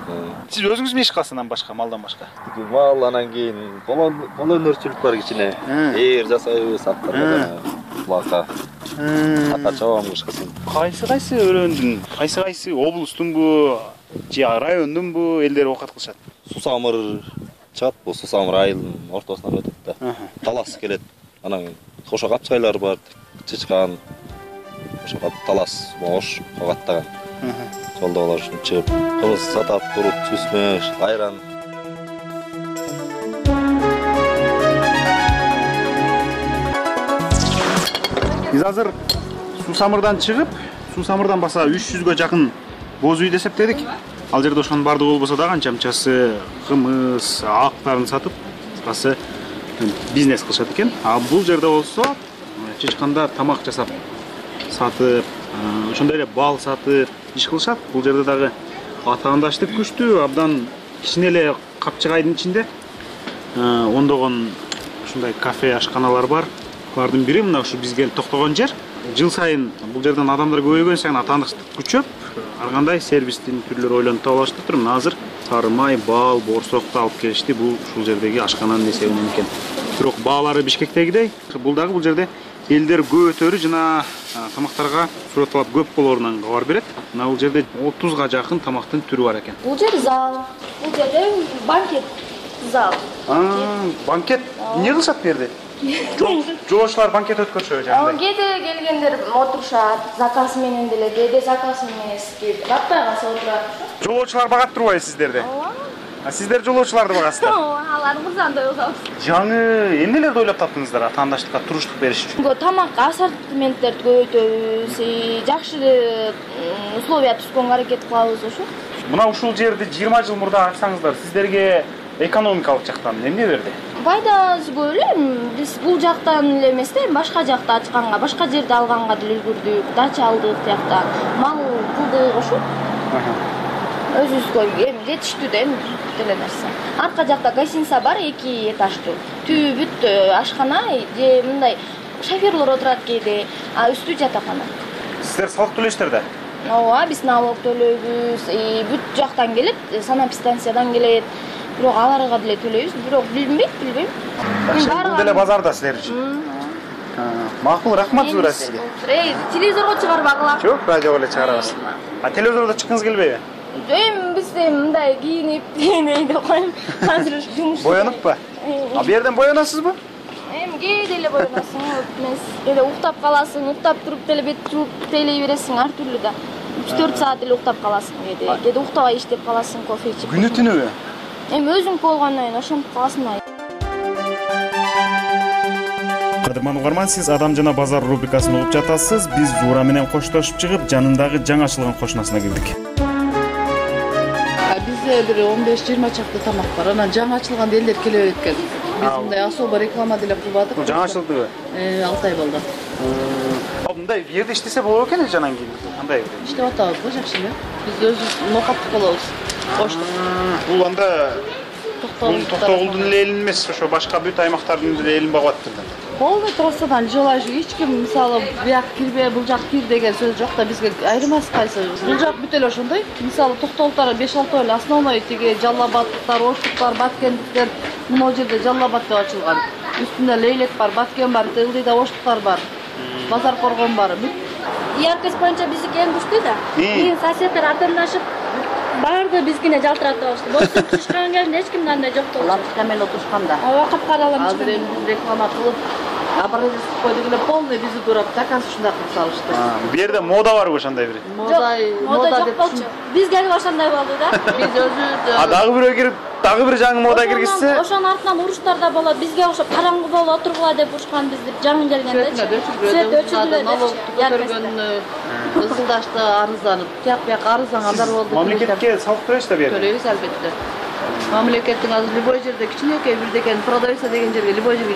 Сиз өзүңүз иш кыласыз андан башка, малдан башка? Мал, анан кийин кол өнөрчүлүк бар кичине. Ээр жасайбыз, аттарга, булакка. Ата чабам кышкысын. Кайсы кайсы өрөөндүн, кайсы кайсы облустунбу, же райондунбу элдер оокат кылышат? Суу Самыр чыгат, бул Суу Самыр айылынын ортосунан өтөт да. Талас келет. Анан кошо капчайлар бар, чычкан. Ошо талас, ош, когаттаган. Жолдо алар үчүн чыгып, кымыз сатат, курут, сүзмөш, айран. Биз азыр Суу Самырдан чыгып, Суу Самырдан баса үч жүзгө жакын боз үйдү эсептедик. Ал жерде ошонун бардыгы болбосо дагы анча-мынчасы кымыз, актарын сатып, кыскасы бизнес кылышат экен. А бул жерде болсо чычкандар тамак жасап сатып, ошондой эле бал сатып иш кылышат. Бул жерде дагы атаандаштык күчтүү, абдан кичине эле капчыгайдын ичинде ондогон ушундай кафе, ашканалар бар. Булардын бiri мына ушу биз келип токтогон жер. Жыл сайын бул жерден адамдар көбөйгөн сайын атаандыктык күчөп, ар кандай сервистин түрлөрү ойлонуп таба баштаптыр. Мына азыр сары май, бал, борсокту алып келишти. Бул ушул жердеги ашкананын эсебинен экен. Бирок баалары Бишкектегидей. Бул дагы бул жерде элдер көп өтөрү жана тамактарга сурет талап көп болоорунан кабар берет. Мына бул жерде отузга жакын тамактын түрү бар экен. Бул жер зал, бул жерде банкет зал. Банкет эмне кылышат бу жерде? Жолоочулар банкет өткөрүшөбү жагында? Кээде келгендер отурушат, заказ менен деле, кээде заказ эмес, кээде батпай калса отурат. Жолоочулар багат турбайбы сиздерди? А сиздер жолоочуларды багасыздар? Алар мырзандай болобуз. Жаңы эмнелерди ойлоп таптыңыздар атаандаштыкка туруштук бериш үчүн? Тамакка ассортименттерди көбөйтөбүз, жакшы условия түзгөнгө аракет кылабыз ошо. Мына ушул жерди жыйырма жыл мурда ачсаңыздар, сиздерге экономикалык жактан эмне берди? Пайдасы көп эле. Биз бул жактан эле эмес да, башка жакта ачканга, башка жерде алганга деле үлгүрдүк, дача алдык тиякта. Мал кылдык ошо. Өзүбүзгө эми жетиштүү да эми деле нерсе. Арка жакта гостиница бар, эки этаждуу. Түбү бүт ашкана же мындай шоферлор отурат кээде, а үстү жатакана. Сиздер салык төлөйсүздөр да? Ооба, биз налог төлөйбүз. Бүт жактан келет, санэпидстанциядан келет. Бирок аларга деле төлөйбүз, бирок билинбейт, билбейм. Бул деле базарда силер үчүн. Макул, рахмат Зура сизге. Телевизорго чыгарбагыла. Жок, радиого эле чыгарабыз. А телевизордо чыккыңыз келбейби? Эми биз мындай кийинип, кийинейин деп коем. Азыр жумуш. Боянуппу? А бу жерден боянасызбы? Эми кээде эле боянасың, эмес. Кээде уктап каласың, уктап туруп деле бет жууп тейлей бересиң, ар түрлүү да. үч төрт саат эле уктап каласың кээде. Кээде уктабай иштеп каласың, кофе ичип. Күнү түнүбү? Эми өзүңкү болгондон кийин ошентип каласың да. Кадырман угарман, сиз Адам жана базар рубрикасын угуп жатасыз. Биз Зура менен коштошуп чыгып, жанындагы жаңы ачылган кошунасына кирдик. Бизде бир он беш жыйырма чакты тамак бар. Анан жаңы ачылган элдер келе берет экен. Биз мындай особо реклама деле кылбадык. Бул жаңы ачылдыбы? Э, алты ай болду. А мындай бу жерде иштесе болот экен эле анан кийин. Кандай? Иштеп атабыз, жакшы эле. Биз өзүбүз ноокаттык болобуз. Коштук. Бул анда Токтогулдун эле элин эмес, ошо башка бүт аймактардын эле элин багып атыптыр. Полный трассадан жолай эч ким мисалы бияк кирбе, бул жак кир деген сөз жок да, бизге айырмасы кайсы. Бул жак бүт эле ошондой. Мисалы Токтогулдар беш алты эле основной тиги Жаллабадтар, Оштуктар, Баткендиктер мына жерде Жаллабад деп ачылган. Үстүндө Лейлек бар, Баткен бар, Тылдыйда Оштуктар бар. Базар Коргон бар. Яркость боюнча биздики эң күчтүү да. Кийин соседтер артындашып барды бизгине жалтырата баштады. Бостон түшкөн кезде эч кимде андай жок болчу. Лап камел отурушканда. Ооба, капкаралам. Азыр эми реклама кылып, образец койдук эле полный бизи турап, заказ ушундай кылып салышты. Бу жерде мода барбы ошондой бир? Мода, мода жок болчу. Биз келип ошондой болду да. Биз өзүбүз. А дагы бирөө кирип, дагы бир жаңы мода киргизсе? Ошонун артынан уруштар да болот. Бизге окшоп караңгы болуп отургула деп урушкан бизди жаңы келгенде. Свет өчүргүлө. Налог көтөргөн ысылдашты арызданып, тияк бияк арыздангандар болду. Мамлекетке салык төлөйсүз да бу жерде? Төлөйбүз албетте. Мамлекеттин азыр любой жерде кичинекей бирдекен продавца деген жерге любой жерге.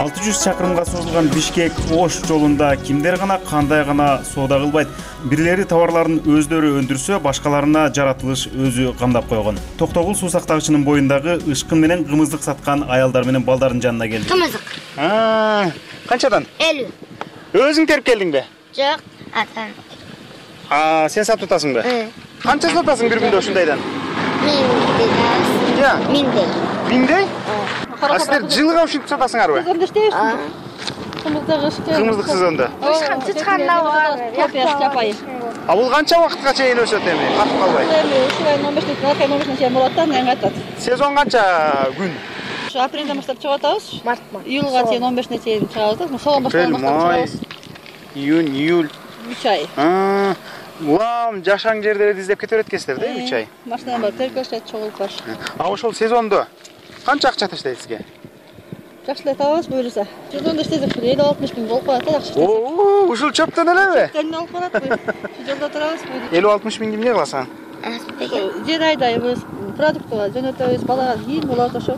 алты жүз чакырымга созулган Бишкек-Ош жолунда кимдер гана кандай гана соода кылбайт. Бирлери товарларын өздөрү өндүрсө, башкаларына жаратылыш өзү камдап койгон. Токтогул суу сактагычынын боюндагы ышкын менен кымыздык саткан аялдар менен балдардын жанына келдик. Кымыздык. А, канчадан? элүү. Өзүң терип келдиңби? Жок, атам. А, сен сатып атасыңбы? Канча сатасың бир күндө ушундайдан? Миңдей. Миңдей. Миңдей? А силер жылыга ушинтип сатасыңарбы? Сезонда иштейбизби? Кымыздык ишке. Кымыздык сезонда. Чычканда бар. Копиясы жапайы. А бул канча убакытка чейин өсөт эми? Катып калбай? Эми ушул айдын он бешинде, акай он бешинде чейин болот да, анан кайтат. Сезон канча күн? Ушу апрелден баштап чыгып атабыз. Мартта. Июлга чейин он бешине чейин чыгабыз да. Соон баштап чыгабыз. Июнь, июль. үч ай. А, улам жашаң жерлерди издеп кете берет экенсиздер да, үч ай. Машина бар, теркөштөйт, чогулуп бар. А ошол сезондо канча акча таштайт сизге? Жакшылай табабыз буюрса. Сезонда иштесек элүү алтымыш миң болуп калат да, жакшы. Оо, ушул чөптөн элеби? Чөптөн алып барат бу. Жолдо турабыз бу. элүү алтымыш миңди эмне кыласың? Жер айдайбыз, продуктка жөнөтөбүз, балага кийин болот ошо.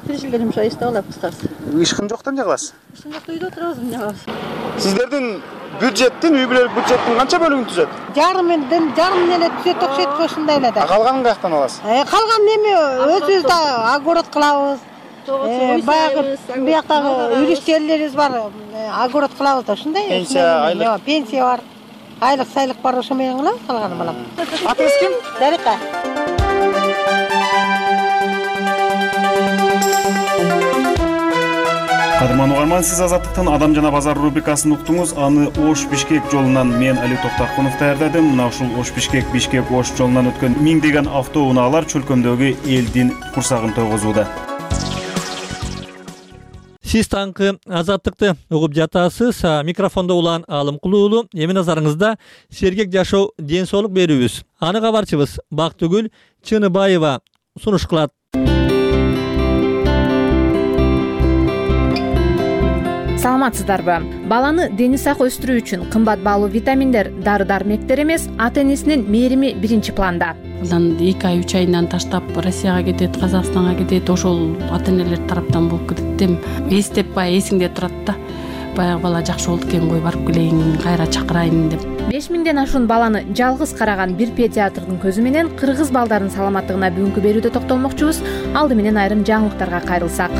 Тиричилдер жумшай иштеп алат кыскасы. Ишкын жоктон эмне кыласыз? Ишкын жокто үйдө турабыз, эмне кылабыз? Сиздердин бюджеттин, үй бүлөлүк бюджеттин канча бөлүгүн түзөт? Жарымын, жарымын эле түзөт окшойт ошондой эле да. А калганын каяктан аласыз? Калган эми өзүбүз да огород кылабыз. баягы бияктагы юристтерлерибиз бар, огород кылабыз да, ушундай. Пенсия, айлык. Пенсия бар. Айлык сайлык бар, ошо менен кылабыз калганы балам. Атыңыз ким? Дарика. Кадырман угарман, сиз Азаттыктын Адам жана базар рубрикасын уктуңуз. Аны Ош-Бишкек жолунан мен Али Токтакунов даярдадым. Мына ушул Ош-Бишкек, Бишкек-Ош жолунан өткөн миңдеген автоунаалар чөлкөмдөгү элдин курсагын тойгозууда. Сиз таңкы Азаттыкты угуп жатасыз. Микрофондо улан Алымкул уулу. Эми назарыңызда сергек жашоо, ден соолук берүүбүз. Аны кабарчыбыз Бактыгүл Чыныбаева сунуш кылат. Саламатсыздарбы? Баланы дени сак өстүрүү үчүн кымбат баалуу витаминдер, дары-дармектер эмес, ата-энесинин мээрими биринчи планда. Андан эки ай, үч айынан таштап Россияга кетет, Казакстанга кетет, ошол ата-энелер тараптан болуп кетет дем. Эстеп баягы эсиңде турат да. Баягы бала жакшы болду экен, кой барып келейин, кайра чакырайын деп. беш миңден ашуун баланы жалгыз караган бир педиатрдын көзү менен кыргыз балдардын саламаттыгына бүгүнкү берүүдө токтолмокчубуз. Алды менен айрым жаңылыктарга кайрылсак.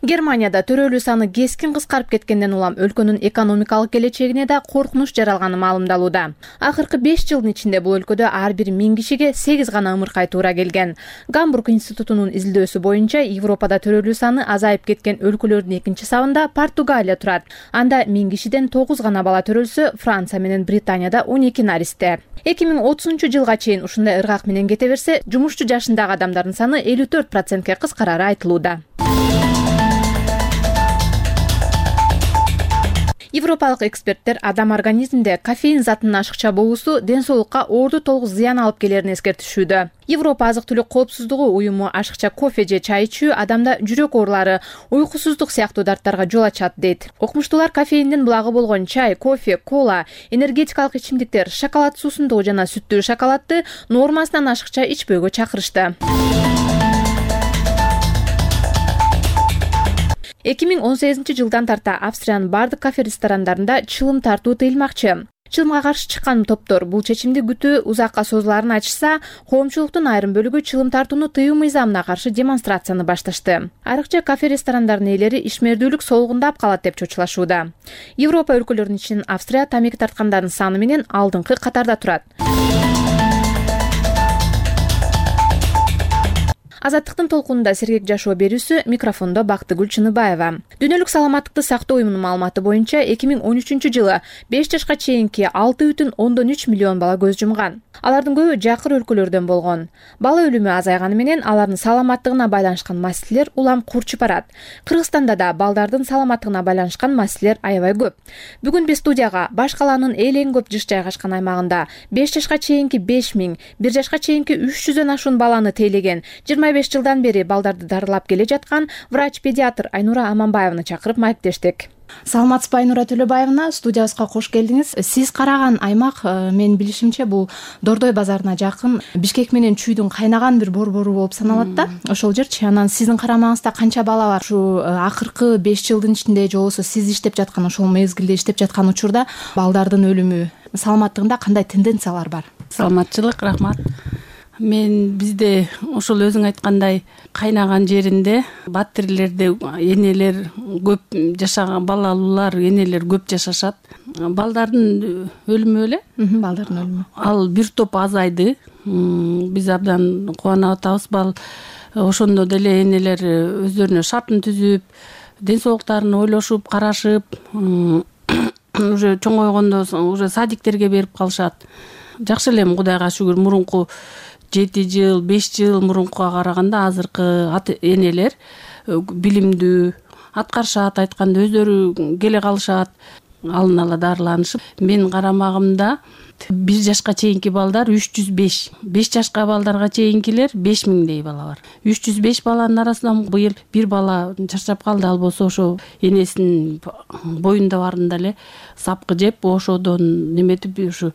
Германияда төрөлүү саны кескин кыскарып кеткенден улам өлкөнүн экономикалык келечегине да коркунуч жаралганы маалымдалууда. Акыркы беш жылдын ичинде бул өлкөдө ар бир миң кишиге сегиз гана ымыркай туура келген. Гамбург институтунун изилдөөсү боюнча Европада төрөлүү саны азайып кеткен өлкөлөрдүн экинчи сабында Португалия турат. Анда миң кишиден тогуз гана бала төрөлсө, Франция менен Британияда он эки наристе. эки миң отузунчу жылга чейин ушундай ыргак менен кете берсе, жумушчу жашындагы адамдардын саны элүү төрт процентке кыскарары айтылууда. Европалык эксперттер адам организминде кофеин затынын ашыкча болуусу ден соолукка орду толук зыян алып келерин эскертишүүдө. Европа азык-түлүк коопсуздугу уюму ашыкча кофе же чай ичүү адамда жүрөк оорулары, уйкусуздук сыяктуу дарттарга жол ачат дейт. Окумуштуулар кофеиндин булагы болгон чай, кофе, кола, энергетикалык ичимдиктер, шоколад суусундугу жана сүттүү шоколадты нормасынан ашыкча ичпөөгө чакырышты. эки миң он сегизинчи жылдан тарта Австриянын бардык кафе-ресторандарында чылым тартуу тыйылмакчы. Чылымга каршы чыккан топтор бул чечимди күтүү узакка созуларын айтышса, коомчулуктун айрым бөлүгү чылым тартууну тыюу мыйзамына каршы демонстрацияны башташты. Арыкча кафе-ресторандардын ээлери ишмердүүлүк солугундап калат деп чочулашууда. Европа өлкөлөрүнүн ичинен Австрия тамеки тарткандардын саны менен алдыңкы катарда турат. Азаттыктын толкунунда сергек жашоо берүүсү, микрофондо Бактыгүл Чыныбаева. Дүйнөлүк саламаттыкты сактоо уюмунун маалыматы боюнча эки миң он үчүнчү жылы беш жашка чейинки алты бүтүн ондон үч миллион бала көз жумган. Алардын көбү жакыр өлкөлөрдөн болгон. Бала өлүмү азайганы менен алардын саламаттыгына байланышкан маселелер улам курчуп барат. Кыргызстанда да балдардын саламаттыгына байланышкан маселелер аябай көп. Бүгүн биз студияга баш калаанын эң көп жыш жайгашкан аймагында беш жашка чейинки беш миң, бир жашка чейинки үч жүздөн ашуун баланы тейлеген, жыйырма беш жылдан бери балдарды дарылап келе жаткан врач-педиатр Айнура Аманбаеваны чакырып маектештик. Саламатсызбы, Айнура Төлөбаевна, студиябызга кош келдиңиз. Сиз караган аймак, менин билишимче, бул Дордой базарына жакын Бишкек менен Чүйдүн кайнаган бир борбору болуп саналат да. Ошол жерчи. Анан сиздин карамагыңызда канча бала бар? Ушу акыркы беш жылдын ичинде же болбосо сиз иштеп жаткан ошол мезгилде иштеп жаткан учурда балдардын өлүмү, саламаттыгында кандай тенденциялар бар? Саламатчылык, рахмат. Мен бизде ошол өзүң айткандай кайнаган жеринде батирлерде энелер көп жашаган, балалуулар, энелер көп жашашат. Балдардын өлүмү эле? Балдардын өлүмү. Ал бир топ азайды. Биз абдан кубанып атабыз. Бал ошондо деле энелер өздөрүнө шартын түзүп, ден соолуктарын ойлошуп, карашып, уже чоңойгондо уже садиктерге берип калышат. Жакшы элем, Кудайга шүгүр, мурунку жети жыл, беш жыл мурункуга караганда азыркы энелер билимдүү, аткарышат, айтканда өздөрү келе калышат, алын ала дарыланышып. Менин карамагымда бир жашка чейинки балдар үч жүз беш, беш жашка балдарга чейинкилер беш миңдей бала бар. үч жүз беш баланын арасынан быйыл бир бала чарчап калды, ал болсо ошо энесинин боюнда барында эле сапкы жеп, ошодон неметип ушу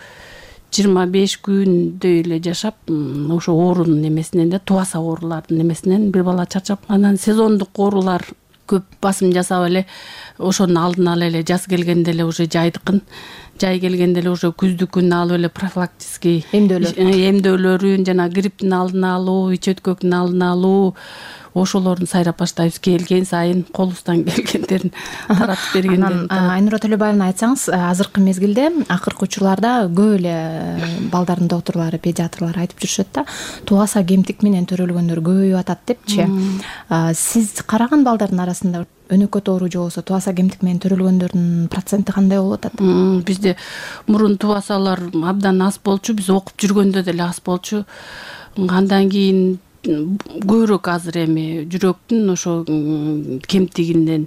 жыйырма беш күндөй эле жашап, ошо оорунун немесинен да, тубаса оорулардын немесинен бир бала чарчап, анан сезондук оорулар көп басым жасап эле ошонун алдын ала эле жаз келгенде эле уже жайдыкын, жай келгенде эле уже күздүкүн алып эле профилактический эмдөөлөрүн, жана грипптин алдын алуу, ич өткөктүн алдын алуу ошолорун сайрап баштайбыз. Келген сайын колубуздан келгендерин таратып бергендерин. Айнура Төлөбаевна, айтсаңыз, азыркы мезгилде акыркы учурларда көп эле балдардын доктурлары, педиатрлар айтып жүрүшөт да, тубаса кемтик менен төрөлгөндөр көбөйүп атат депчи. Сиз караган балдардын арасында өнөкөт оору же болбосо тубаса кемтик менен төрөлгөндөрдүн проценти кандай болуп атат? Бизде мурун тубасалар абдан аз болчу, биз окуп жүргөндө деле аз болчу. Андан кийин көбүрөөк азыр эми жүрөктүн ошо кемтигинден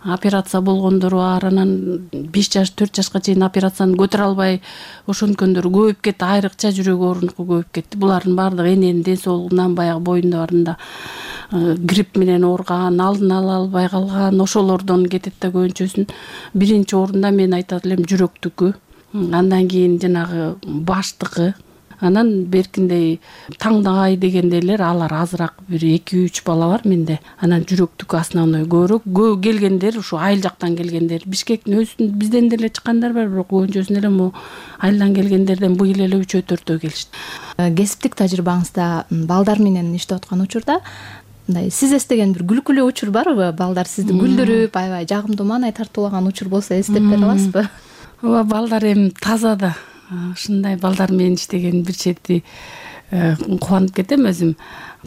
операция болгондор бар, анан беш жаш, төрт жашка чейин операцияны көтөрө албай ошонткөндөр көбөйүп кетти, айрыкча жүрөк оорунуку көбөйүп кетти. Булардын баардыгы эненин ден соолугунан, баягы боюнда барында грипп менен ооруган, алдын ала албай калган, ошолордон кетет да көбүнчөсүн. Биринчи орунда мен айтат элем жүрөктүкү, андан кийин жанагы баштыкы, анан беркиндей таңдай дегендейлер алар азыраак, бир эки үч бала бар менде. Анан жүрөктүкү основной көбүрөөк. Көп келгендер ушу айыл жактан келгендер. Бишкектин өзүнүн бизден деле чыккандар бар, бирок көбүнчөсүн эле могу айылдан келгендерден быйыл эле үчөө төртөө келишти. Кесиптик тажрыйбаңызда балдар менен иштеп аткан учурда мындай сиз эстеген бир күлкүлүү учур барбы? Балдар сизди күлдүрүп, аябай жагымдуу маанай тартуулаган учур болсо эстеп бере аласызбы? Ооба, балдар эми таза да. Ушундай балдар менен иштеген бир чети кубанып кетем өзүм.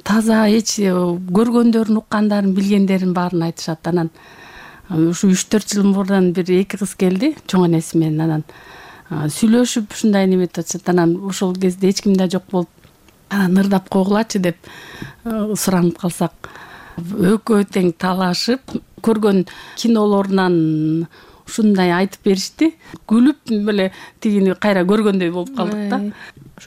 Таза, эч көргөндөрүн, уккандарын, билгендерин баарын айтышат. Анан ушу үч төрт жыл мурун бир эки кыз келди, чоң энеси менен. Анан сүйлөшүп ушундай неметип атышат. Анан ошол кезде эч ким да жок болуп, анан ырдап койгулачы деп суранып калсак, экөө тең талашып, көргөн кинолорунан ушундай айтып беришти. Күлүп эле тигини кайра көргөндөй болуп калдык да.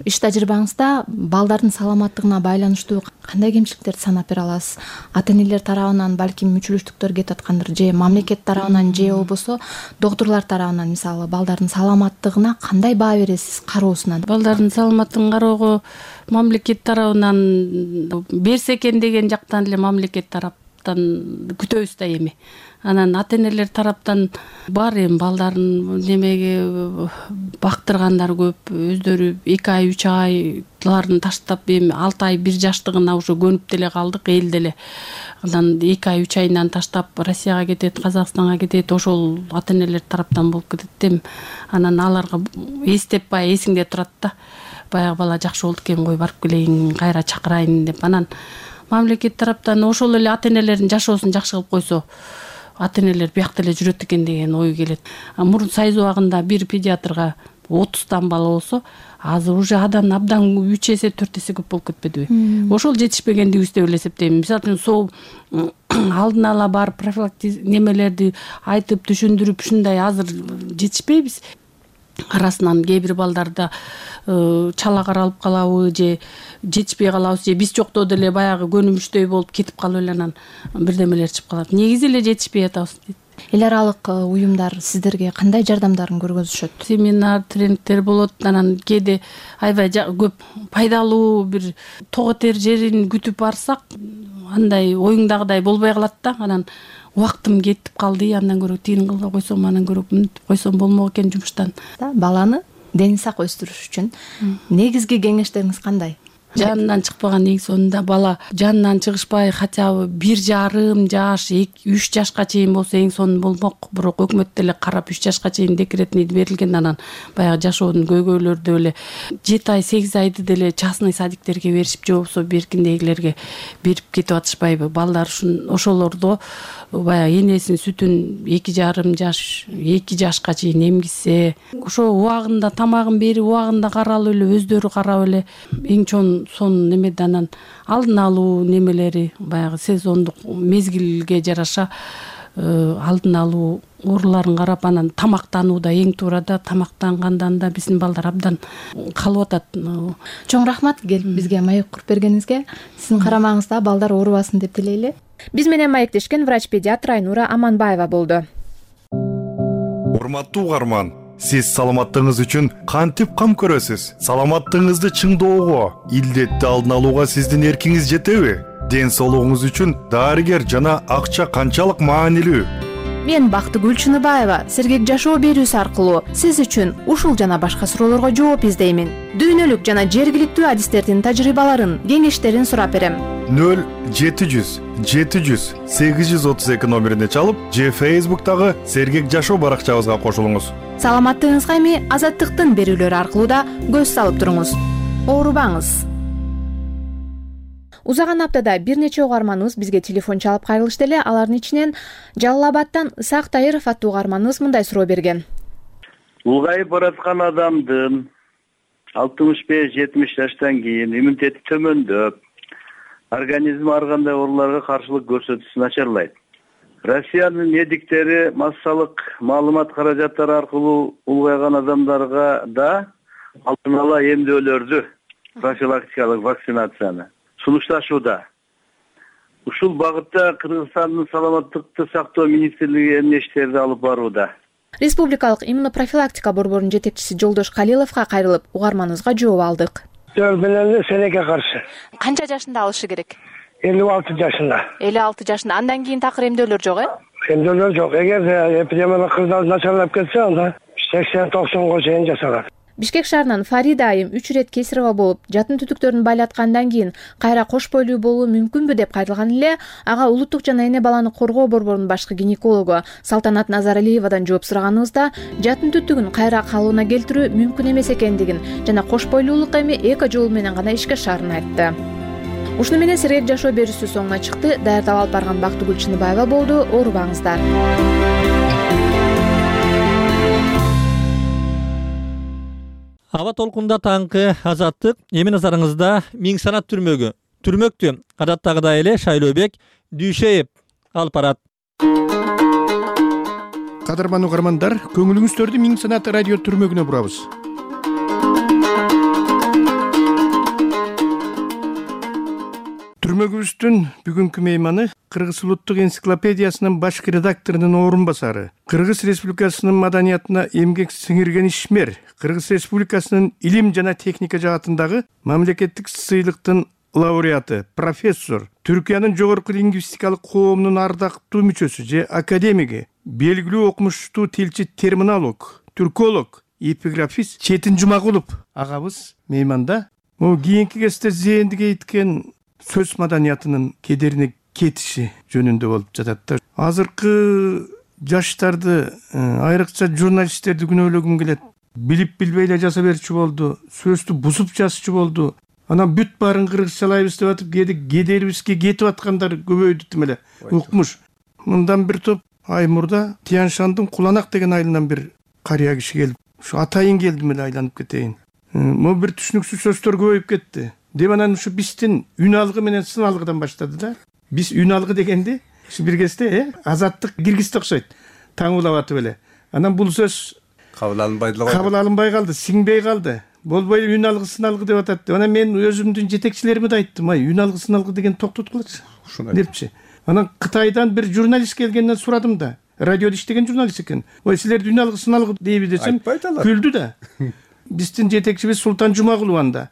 Иш тажрыйбаңызда балдардын саламаттыгына байланыштуу кандай кемчиликтерди санап бере аласыз? Ата-энелер тарабынан балким мүчүлүштүктөр кетип аткандыр, же мамлекет тарабынан, же болбосо доктурлар тарабынан, мисалы, балдардын саламаттыгына кандай баа бересиз кароосунан? Балдардын саламаттыгын кароого мамлекет тарабынан берсе экен деген жактан эле мамлекет тараптан күтөбүз да эми. Анан ата-энелер тараптан бар эми балдарын немеге бактыргандар көп, өздөрү эки ай, үч айларын таштап эми алты ай, бир жаштыгына уже көнүп деле калдык, эл деле. Анан эки ай, үч айынан таштап Россияга кетет, Казакстанга кетет, ошол ата-энелер тараптан болуп кетет эми. Анан аларга эстеп бай эсиңде турат да. Баягы бала жакшы болду экен, кой барып келейин, кайра чакырайын деп. Анан мамлекет тараптан ошол эле ата-энелердин жашоосун жакшы кылып койсо, ата-энелер биякта эле жүрөт экен деген ой келет. Мурун сайыз убагында бир педиатрга отуздан бала болсо, азыр уже адан абдан үч эсе, төрт эсе көп болуп кетпедиби? Ошол жетишпегендигибиз деп эле эсептейм. Мисалы үчүн сол алдын ала бар профилактик немелерди айтып, түшүндүрүп, ушундай азыр жетишпейбиз. Арасынан кээ бир балдарда чала каралып калабы, же жетишпей калабыз, же биз жокто деле баягы көнүмүштөй болуп кетип калып эле анан бирдемелер чыгып калат. Негизи эле жетишпей атабыз дейт. Эл аралык уюмдар сиздерге кандай жардамдарын көргөзүшөт? Семинар, тренингдер болот. Анан кээде аябай көп пайдалуу бир тоготер жерин күтүп барсак, андай оюңдагыдай болбой калат да. Анан убактым кетип калды, андан көрө тигин кылбай койсом, анан көрө мынтип койсом болмок экен жумуштан. Баланы дени сак өстүрүш үчүн негизги кеңештериңиз кандай? Жанынан чыкпаган, эң сонунда бала жанынан чыгышпай, хотя бы бир жарым жаш, үч жашка чейин болсо эң сонун болмок. Бирок өкмөт деле карап үч жашка чейин декретный берилген. Анан баягы жашоонун көйгөйлөрдү эле жети ай, сегиз айды деле частный садиктерге беришип, же болбосо беркиндегилерге берип кетип атышпайбы? Балдар ушун ошолордо баягы энесинин сүтүн эки жарым жаш, эки жашка чейин эмгизсе, ошо убагында тамагын берип, убагында каралып эле, өздөрү карап эле эң чоң сонун немеде. Анан алдын алуу немелери баягы сезондук мезгилге жараша алдын алуу ооруларын карап, анан тамактанууда эң туура да, тамактангандан да биздин балдар абдан калып атат. Чоң рахмат келип бизге маек куруп бергениңизге. Сиздин карамагыңызда балдар оорубасын деп тилейли. Биз менен маектешкен врач-педиатр Айнура Аманбаева болду. Урматтуу угарман, Сиз саламаттыгыңыз үчүн кантип кам көрөсүз? Саламаттыгыңызды чыңдоого, илдетти алдын алууга сиздин эркиңиз жетеби? Ден соолугуңуз үчүн дарыгер жана акча канчалык маанилүү? Мен Бактыгүл Чыныбаева сергек жашоо берүүсү аркылуу сиз үчүн ушул жана башка суроолорго жооп издеймин. Дүйнөлүк жана жергиликтүү адистердин тажрыйбаларын, кеңештерин сурап берем. нөл жети жүз жети жүз сегиз жүз отуз эки номерине чалып, же Facebook'тагы сергек жашоо баракчабызга кошулуңуз. Саламаттыгыңызга эми Азаттыктын берүүлөрү аркылуу да көз салып туруңуз. Оорубаңыз. Узаган аптада бир нече угарманыбыз бизге телефон чалып кайрылышты эле. Алардын ичинен Жалал Абадтан Исак Тайыров аттуу угарманыбыз мындай суроо берген. Улгайып бараткан адамдын алтымыш беш жетимиш жаштан кийин иммунитети төмөндөп, организм ар кандай ооруларга каршылык көрсөтүүсү начарлайт. Россиянын медиктери массалык маалымат каражаттары аркылуу улгайган адамдарга да алдын ала эмдөөлөрдү, профилактикалык вакцинацияны сунушташууда. Ушул багытта Кыргызстандын саламаттыкты сактоо министрлиги эмне иштерди алып барууда? Республикалык иммунопрофилактика борборунун жетекчиси Жолдош Калиловго кайрылып, угарманыбызга жооп алдык. Жол менен сенеке каршы. Канча жашында алышы керек? элүү алты жашында. элүү алты жашында. Андан кийин такыр эмдөөлөр жок, э? Эмдөөлөр жок. Эгер эпидемиялык кырдаал начарлап кетсе, анда сексен токсонго чейин жасалат. Бишкек шаарынан Фарида айым үч ирет кесарево болуп, жатын түтүктөрүн байлаткандан кийин кайра кош бойлуу болуу мүмкүнбү деп кайрылган эле. Ага улуттук жана эне баланы коргоо борборунун башкы гинекологу Салтанат Назаралиевадан жооп сураганыбызда, жатын түтүгүн кайра калыбына келтирүү мүмкүн эмес экендигин жана кош бойлуулук эми эко жол менен гана ишке ашаарын айтты. Ушуну менен сергек жашоо берүүсү соңуна чыкты. Даярдап алып барган Бактыгүл Чыныбаева болду. Оорубаңыздар. Аба толкунда таңкы Азаттык. Эми назарыңызда Миң санат түрмөгү. Түрмөктү адаттагыдай эле Шайлообек Дүйшеев алып барат. Кадырман угармандар, көңүлүңүздөрдү Миң санат радио түрмөгүнө бурабыз. Түрмөгүбүздүн бүгүнкү мейманы Кыргыз улуттук энциклопедиясынын башкы редакторунун орун басары, Кыргыз Республикасынын маданиятына эмгек сиңирген ишмер, Кыргыз Республикасынын илим жана техника жаатындагы мамлекеттик сыйлыктын лауреаты, профессор, Түркиянын жогорку лингвистикалык коомунун ардактуу мүчөсү же академиги, белгилүү окумуштуу тилчи, терминолог, түрколог, эпиграфист Четин Жумагулов агабыз мейманда. Могу кийинки кезде зээндиге иткен сөз маданиятынын кедерине кетиши жөнүндө болуп жатат да. Азыркы жаштарды, айрыкча журналисттерди күнөөлөгүм келет. Билип билбей эле жаза берчү болду, сөздү бузуп жазчу болду. Анан бүт баарын кыргызчалайбыз деп атып, кээде кедерибизге кетип аткандар көбөйдү тим эле. Укмуш. Мындан бир топ ай мурда Тияншандын Куланак деген айылынан бир карыя киши келип, ушу атайын келдим эле айланып кетейин. Могу бир түшүнүксүз сөздөр көбөйүп кетти. Деп анан ушу биздин үн алгы менен сын алгыдан баштады да. Биз үн алгы дегенди ушу бир кезде э Азаттык киргизди окшойт. Таң улап атып эле. Анан бул сөз кабыл алынбай эле кабыл алынбай калды, сиңбей калды. Болбой үн алгы сын алгы деп атат. Анан мен өзүмдүн жетекчилериме да айттым, ай үн алгы сын алгы деген токтоткулачы. Депчи. Анан Кытайдан бир журналист келгенден сурадым да. Радиодо иштеген журналист экен. Ой, силерди үн алгы сын алгы дейби десем, күлдү да. Биздин жетекчибиз Султан Жумагулов анда.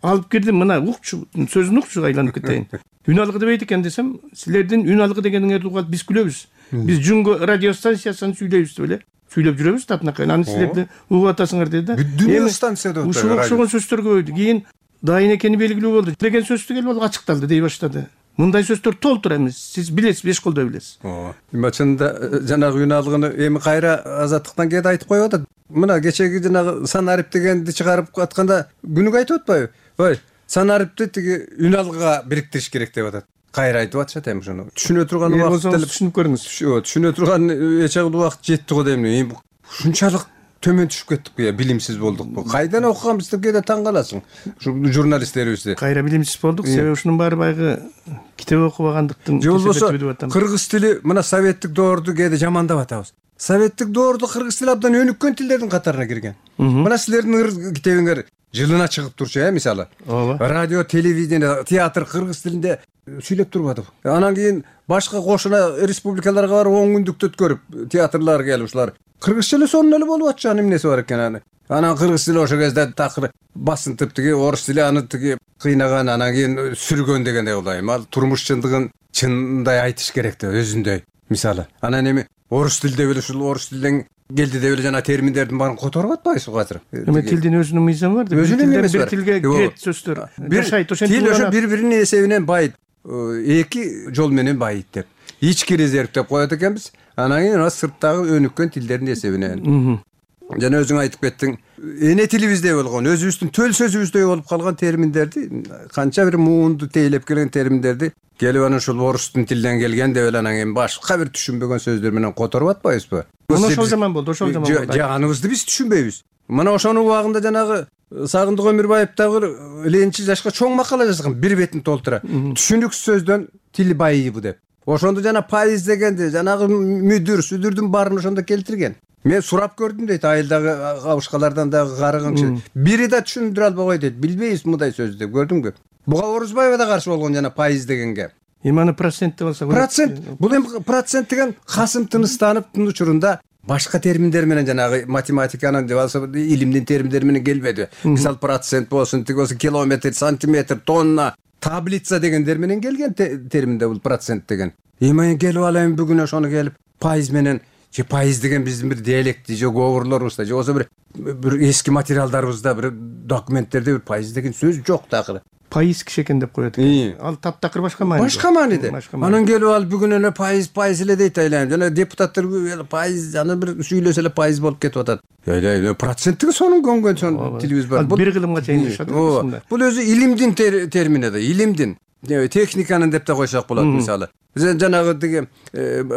Алып кирдим, мына укчу, сөзүн укчу, айланып кетейин. Үн алгы дебейт экен десем, силердин үн алгы дегениңерди угат биз күлөбүз. Биз Жунго радиостанциясын сүйлөйбүз деп эле. Сүйлөп жүрөбүз татынакай. Аны силерди угуп атасыңар деди да. Дүнү станцияда отур. Ушул окшогон сөздөр көбөйдү. Кийин дайын экени белгилүү болду. Деген сөздү келип алып ачыкталды дей баштады. Мындай сөздөр толтур эмес. Сиз билесиз, беш колдой билесиз. Ооба. Чынында жанагы үн алгыны эми кайра Азаттыктан кээде айтып коюп атат. Мына кечеги жанагы санарип дегенди чыгарып атканда күнүгө айтып атпайбы? Ой, санарипти тиги үн алгыга бириктириш керек деп атат. Кайра айтып атышат эми ушуну. Түшүнө турган убакыт делип түшүнүп көрүңүз. Түшүнө турган эч убакыт жетти го дейм. Эми ушунчалык төмөн түшүп кеттикпи я, билимсиз болдукпу? Кайдан окуганбыз деп кээде таң каласың. Ушу журналисттерибизди. Кайра билимсиз болдук, себеби ушунун баары баягы китеп окубагандыктын себеби деп атам. Кыргыз тили мына советтик доорду кээде жамандап атабыз. Советтик доордо кыргыз тили абдан өнүккөн тилдердин катарына кирген. Мына силердин китебиңер жылына чыгып турчу, э, мисалы. Радио, телевидение, театр кыргыз тилинде сүйлөп турбадыбы? Анан кийин башка кошуна республикаларга барып он күндүк өткөрүп, театрлар келип ушулар кыргызча эле сонун эле болуп атчы, анын эмнеси бар экен аны. Анан кыргыз тили ошол кезде такыр басынтып тиги орус тили аны тиги кыйнаган, анан кийин сүргөн дегендей болду. Ал турмуш чындыгын чындай айтыш керек да өзүндөй. Мисалы, анан эми орус тилде эле ушул орус тилден келди деп эле жана терминдердин баарын которуп атпайсызбы азыр? Эми тилдин өзүнүн мыйзамы бар да. Өзүнүн бир тилге кирет сөздөр. Жашайт ошентип. Тил ошо бири-биринин эсебинен байыйт. Эки жол менен байыйт деп. Ички резерв деп коет экенбиз. Анан кийин сырттагы өнүккөн тилдердин эсебинен. Жана өзүң айтып кеттиң, эне тилибиздей болгон, өзүбүздүн төл сөзүбүздөй болуп калган терминдерди, канча бир муунду тейлеп келген терминдерди келип анан ушул орустун тилден келген деп эле анан кийин башка бир түшүнбөгөн сөздөр менен которуп атпайбызбы? Мына ошол жаман болду, ошол жаман болду. Жаныбызды биз түшүнбөйбүз. Мына ошонун убагында жанагы Сагындык Өмүрбаев дагы ленчи жашка чоң макала жазган, бир бетин толтура. Түшүнүксүз сөздөн тил байыйбы деп. Ошондо жана пайыз дегенди, жанагы мүдүр, сүдүрдүн баарын ошондо келтирген. Мен сурап көрдүм дейт, айылдагы кабышкалардан дагы карыган киши. Бири да түшүндүрө албай койду дейт. Билбейбиз мындай сөздү деп, көрдүңбү? Буга Орузбаева да каршы болгон жана пайыз дегенге. Эми аны процент деп алсак. Процент. Бул эми процент деген Касым Тыныстановдун учурунда башка терминдер менен жанагы математиканын деп алса илимдин терминдери менен келбеди. Мисалы процент болсун, тиги болсун километр, сантиметр, тонна, таблица дегендер менен келген терминде бул процент деген. Эми келип алайын бүгүн ошону келип пайыз менен же пайыз деген биздин бир диалекти же говорлорубузда же болсо бир бир эски материалдарыбызда бир документтерде бир пайыз деген сөз жок такыр. Пайыз киши экен деп коет экен. Ал таптакыр башка маани. Башка мааниде. Анан келип ал бүгүн эле пайыз пайыз эле дейт айлайм. Жана депутаттар пайыз аны бир сүйлөсө эле пайыз болуп кетип атат. Айлай проценттиги сонун көнгөн сон тилибиз бар. Бир кылымга чейинишет. Бул өзү илимдин термини да, илимдин. Техниканын деп да койсок болот мисалы. Биз жанагы тиги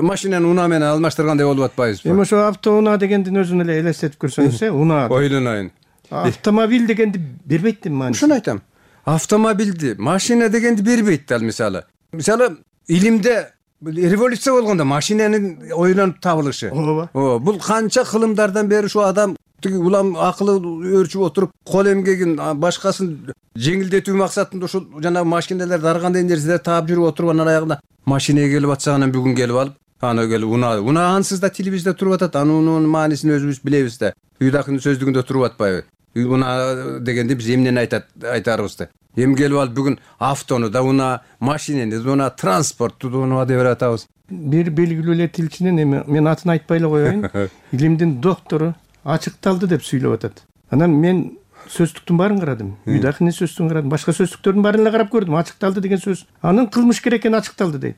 машинаны унаа менен алмаштыргандай болуп атпайбызбы? Эми ошо автоунаа дегендин өзүн эле элестетип көрсөңүз, э, унаа. Ойлонайын. Автомобиль дегенди бербейт деп маани. Ошону айтам. Автомобилди, машина дегенди бербейт ал мисалы. Мисалы, илимде революция болгондо машинанын ойлонуп табылышы. Ооба. Бул канча кылымдардан бери ушу адам тиги улам акылы өөрчүп отуруп, кол эмгегин башкасын жеңилдетүү максатында ушул жана машиналар даргандай нерселер таап жүрүп отуруп анан аягында машинеге келип атса анан бүгүн келип алып, аны келип унаа. Унаа ансыз да тилибизде туруп атат. Анын маанисин өзүбүз билебиз да. Үйдакынын сөздүгүндө туруп атпайбы? Унаа дегенде биз эмнени айтат айтарыбызды. Эми келип алып бүгүн автону да унаа, машинени да унаа, транспортту да унаа деп атабыз. Бир белгилүү эле тилчинин эми мен атын айтпай эле коеюн. Илимдин доктору ачыкталды деп сүйлөп атат. Анан мен сөздүктүн баарын карадым. Үйдакынын сөздүгүн карадым. Башка сөздүктөрдүн баарын эле карап көрдүм. Ачыкталды деген сөз. Анын кылмыш керек экени ачыкталды дейт.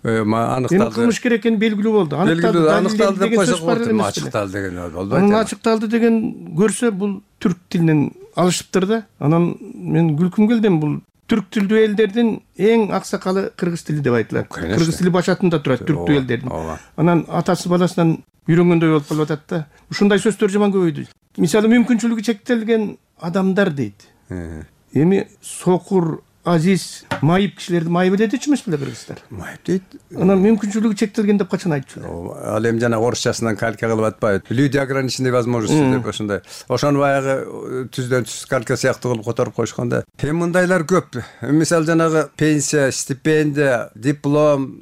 Аныкталды. Эми кылмыш керек экени белгилүү болду. Аныкталды, аныкталды деп койсок болду. Ачыкталды деген болбойт. Анын ачыкталды деген көрсө бул түрк тилинен алышыптыр да. Анан мен күлкүм келди, бул түрк тилдүү элдердин эң аксакалы кыргыз тили деп айтылат. Кыргыз тили башатында турат түрктүү элдердин. Анан атасы баласынан үйрөнгөндөй болуп калып атат да. Ушундай сөздөр жаман көбөйдү. Мисалы мүмкүнчүлүгү чектелген адамдар дейт. Эми сокур, азиз, майып кишилерди майып дечү эмес беле кыргыздар? Майып дейт. Анан мүмкүнчүлүгү чектелген деп качан айтчу? Ал эми жана орусчасынан калька кылып атпайбы? Люди ограниченной возможности деп ошондой. Ошону баягы түздөн түз калька сыяктуу кылып которуп коюшканда. Эми мындайлар көп. Мисалы жанагы пенсия, стипендия, диплом,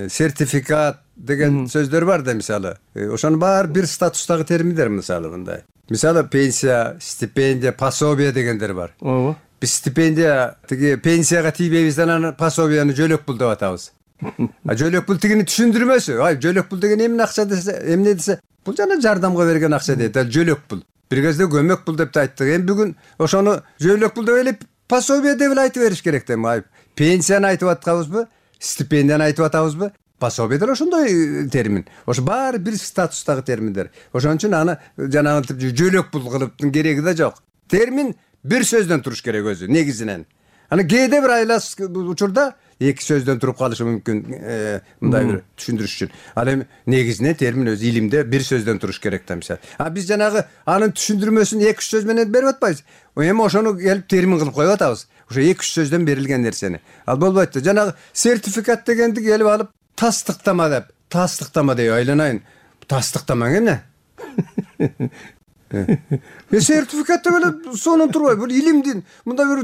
сертификат деген сөздөр бар да мисалы. Ошонун баары бир статустагы терминдер мисалы мындай. Мисалы пенсия, стипендия, пособие дегендер бар. Ооба. Биз стипендия тиги пенсияга тийбейбиз, анан пособияны жөлөк пул деп атабыз. А жөлөк пул тигини түшүндүрмөсү. Ай, жөлөк пул деген эмне акча десе, эмне десе, бул жана жардамга берген акча дейт. Ал жөлөк пул. Бир кезде көмөк пул деп да айттык. Эми бүгүн ошону жөлөк пул деп эле пособие деп эле айтып бериш керек да. Ай, пенсияны айтып атканбызбы? Стипендияны айтып атабызбы? Пособие деле ошондой термин. Ошо баары бир статустагы терминдер. Ошон үчүн аны жанагы жөлөк пул кылыптын кереги да жок. Термин бир сөздөн туруш керек өзү негизинен. Аны кээде бир айлас учурда эки сөздөн туруп калышы мүмкүн, мындай бир түшүндүрүш үчүн. Ал эми негизинен термин өзү илимде бир сөздөн туруш керек да мисалы. А биз жанагы анын түшүндүрмөсүн эки үч сөз менен берип атпайбыз. Эми ошону келип термин кылып коюп атабыз. Ошо эки үч сөздөн берилген нерсени. Ал болбойт да. Жанагы сертификат дегенди келип алып тастыктама деп, тастыктама деп айланайын. Тастыктама эмне? Мен сертификат деп эле сонун турбайбы? Бул илимдин мындай бир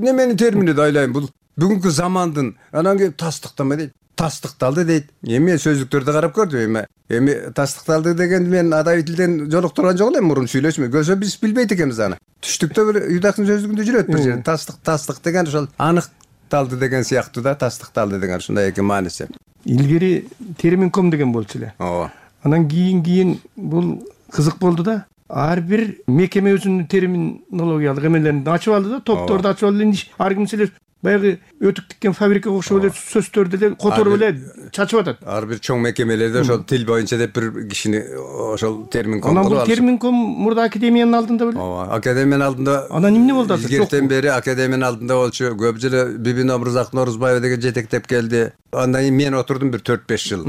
неменин термини да айлайын. Бул бүгүнкү замандын анан кийин тастыктама дейт. тастыкталды дейт. Эми сөздүктөрдү карап көрдүм эми. Эми тастыкталды дегенди мен адабий тилден жолуктурган жок элем, мурун сүйлөшмө. Көрсө биз билбейт экенбиз аны. Түштүктө бир Юдактын сөздүгүндө жүрөт бир жер. Тастык тастык деген ошол аныкталды деген сыяктуу да, тастыкталды деген ушундай эки мааниси. Илгери терминком деген болчу эле. Ооба. Анан кийин кийин бул кызык болду да. Ар бир мекеме өзүнүн терминологиялык эмелерин ачып алды да, топторду ачып алды. Ар ким эле баягы өтүк тиккен фабрикага окшоп эле сөздөрдү эле которуп эле чачып атат. Ар бир чоң мекемелерде ошол тил боюнча деп бир кишини ошол терминком кылып алышат. Анан бул терминком мурда академиянын алдында беле? Ооба, академиянын алдында. Анан эмне болду азыр? Илгертен бери академиянын алдында болчу. Көп жылы Бибин Омурзак Норузбаева деген жетектеп келди. Андан кийин мен отурдум бир төрт беш жыл.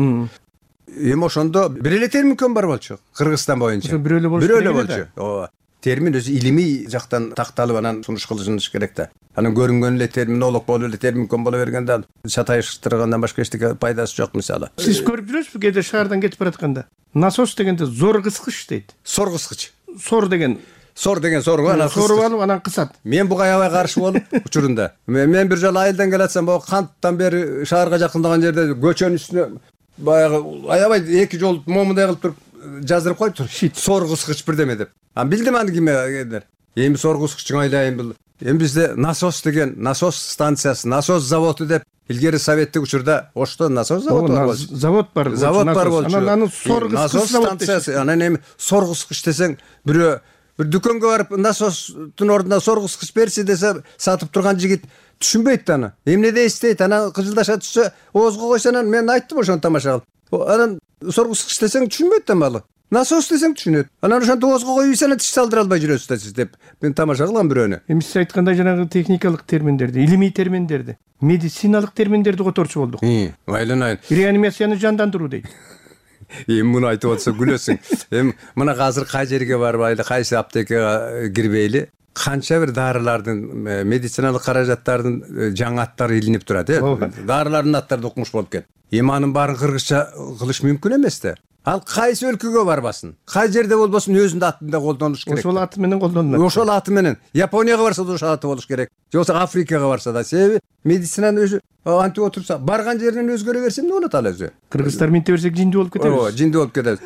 Эми ошондо бир эле терминком бар болчу Кыргызстан боюнча. Бир эле болчу. Бир эле болчу. Ооба. Термин өзү илимий жактан такталып анан сунуш кылышыныш керек да. Анан көрүнгөн эле терминолог болуп эле терминком боло бергенде чатайыштыргандан башка эчтеке пайдасы жок мисалы. Сиз көрүп жүрөсүзбү кээде шаардан кетип баратканда? Насос дегенде зор кыскыч дейт. Сор кыскыч. Сор деген Сор деген сорго анан соруп алып анан кысат. Мен буга аябай каршы болуп учурунда. Мен бир жолу айылдан келатсам, могу канттан бери шаарга жакындаган жерде көчөнүн үстүнө баягы аябай эки жол момундай кылып туруп жаздырып коюптур. Сор кыскыч бирдеме деп. А билдим аны кимдер. Эми сор кыскычын айлайын бул. Эми бизде насос деген, насос станциясы, насос заводу деп илгери советтик учурда ошто насос заводу бар болчу. Завод бар. Завод бар болчу. Анан аны сор кыскыч станциясы. Анан эми сор кыскыч десең, бирөө бир дүкөнгө барып насостун ордуна сор кыскыч берчи десе, сатып турган жигит түшүнбөйт аны. Эмне дейсиз? Анан кыжылдаша түшсө, оозго койсо анан мен айттым ошону тамаша кылып. Анан сор кыскыч десең түшүнбөйт да малы. Насос десең түшүнөт. Анан ошонто оозго коюп ийсен тиш салдыра албай жүрөсүз да сиз деп мен тамаша кылгам бирөөнү. Эми сиз айткандай жанагы техникалык терминдерди, илимий терминдерди, медициналык терминдерди которчу болдук. Айланайын. Реанимацияны жандандыруу дейт. Эми муну айтып атса күлөсүң. Эми мына азыр кай жерге барбайлы, кайсы аптекага кирбейли, канча бир дарылардын, медициналык каражаттардын жаңы аттары илинип турат, э? Дарылардын аттары укмуш болуп кетти. Эми анын баарын кыргызча кылыш мүмкүн эмес да. Ал кайсы өлкөгө барбасын, кай жерде болбосун өзүнүн атында колдонуш керек. Ошол аты менен колдонулат. Ошол аты менен. Японияга барса да ошол аты болуш керек. Же болбосо Африкага барса да. Себеби медицинанын өзү антип отурса, барган жеринен өзгөрө берсе эмне болот ал өзү? Кыргыздар менте берсек жинди болуп кетебиз. Ооба, жинди болуп кетебиз.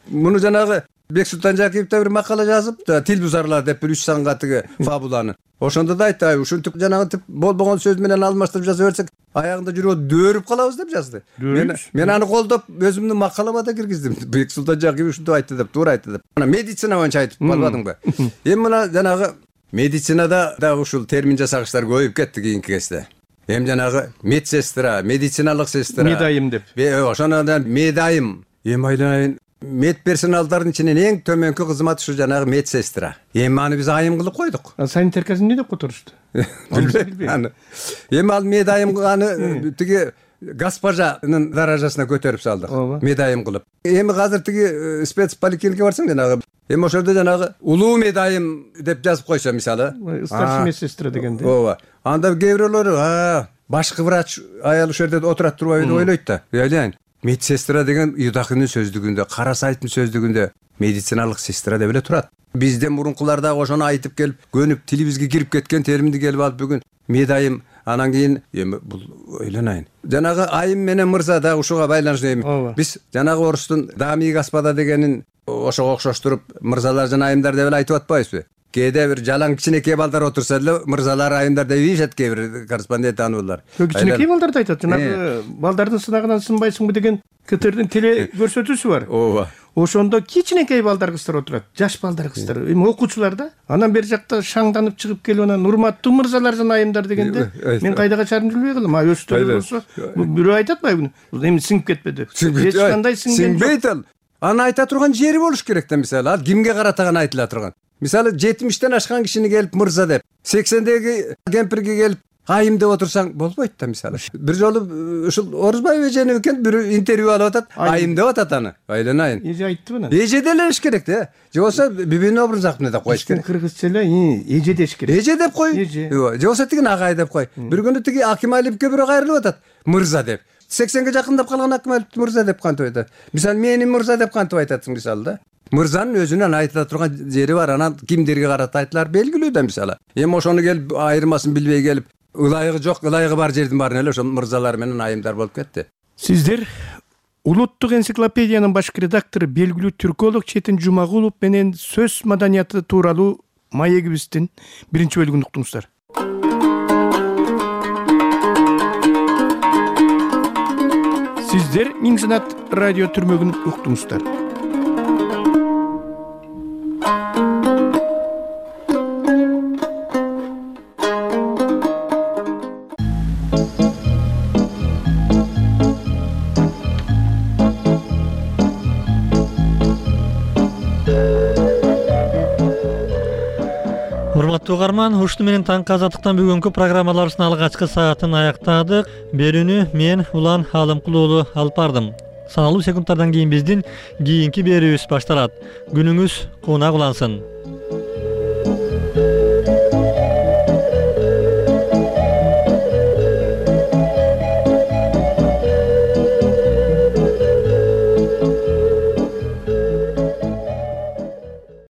Муну жанагы Бексултан Жакиев да бир макала жазып, тил бузарлар деп бир үч санга тиги фабуланы. Ошондо да айтты, ушинтип жанагы тип болбогон сөз менен алмаштырып жаза берсек, аягында жүрөп дөөрүп калабыз деп жазды. Мен мен аны колдоп өзүмдүн макалама да киргиздим. Бексултан Жакиев ушинтип айтты деп, туура айтты деп. Ана медицина боюнча айтып калбадыңбы? Эми мына жанагы медицинада да ушул термин жасагычтар көбөйүп кетти кийинки кезде. Эми жанагы медсестра, медициналык сестра. Медайым деп. Ошондон медайым. Эми айланайын медперсоналдардын ичинен эң төмөнкү кызмат ушу жанагы медсестра. Эми аны биз айым кылып койдук. Санитаркасын эмне деп которушту? Билбейм. Эми ал медайым аны тиги госпожанын даражасына көтөрүп салдык. Медайым кылып. Эми азыр тиги спецполиклиникага барсаң жанагы эми ошолдо жанагы улуу медайым деп жазып койсо мисалы, старший медсестра дегенде. Ооба. Анда кээ бирөөлөр, а, башкы врач аял ошол жерде отурат турбайбы деп ойлойт да. Айлайын. Медсестра деген Юдакынын сөздүгүндө, Карасайдын сөздүгүндө медициналык сестра деп эле турат. Бизден мурункулар да ошону айтып келип, көнүп тилибизге кирип кеткен терминди келип алып бүгүн медайым, анан кийин эми бул ойлонайын. Жанагы айым менен мырза да ушуга байланыштуу эми. Биз жанагы орустун дами господа дегенин ошого окшоштуруп мырзалар жана айымдар деп эле айтып атпайбызбы? Кээде бир жалаң кичинекей балдар отурса деле мырзалар айымдар деп ийишет кээ бир корреспондент ануулар. Кичинекей балдарды айтат. Жанагы балдардын сынагынан сынбайсыңбы деген КТРдин теле көрсөтүүсү бар. Ооба. Ошондо кичинекей балдар кыздар отурат. Жаш балдар кыздар. Эми окуучулар да. Анан бери жакта шаңданып чыгып келип анан урматтуу мырзалар жана айымдар дегенде мен кайда качарын билбей калдым. А өстөрү болсо бирөө айтат атпайбы? Эми сиңип кетпеди. Эч кандай сиңген жок. Сиңбейт ал. Аны айта турган жери болуш керек да мисалы. Ал кимге карата гана айтыла турган. Мисалы жетимиштен ашкан кишини келип мырза деп, сексендеги кемпирге келип айым деп отурсаң болбойт да мисалы. Бир жолу ушул Орузбаев эжени экен бир интервью алып атат, айым деп атат аны. Айланайын. Эже айтты мына. Эже делеш керек да. Же болсо Бибин Омурзаковна деп коюш керек. Кыргызча эле эже деш керек. Эже деп кой. Ооба. Же болсо тиги агай деп кой. Бир күнү тиги Акималиевке бирөө кайрылып атат, мырза деп. сексенге жакындап калган Акималиев мырза деп кантип айтат. Мисалы мени мырза деп кантип айтасың мисалы да. Мырзанын өзүнөн айтыла турган жери бар, анан кимдерге карата айтылар белгилүү да мисалы. Эми ошону келип айырмасын билбей келип ылайыгы жок, ылайыгы бар жердин баарын эле ошол мырзалар менен айымдар болуп кетти. Сиздер улуттук энциклопедиянын башкы редактору белгилүү түрколог Четин Жумагулов менен сөз маданияты тууралуу маегибиздин биринчи бөлүгүн уктуңуздар. Сиздер Миң Санат радио түрмөгүн уктуңуздар. Урматтуу угарман, ушуну менен таңкы азаттыктан бүгүнкү программаларыбыздын алгачкы саатын аяктадык. Берүүнү мен Улан Алымкул уулу алып бардым. Саналуу секундтардан кийин биздин кийинки берүүбүз башталат. Күнүңүз кунак улансын.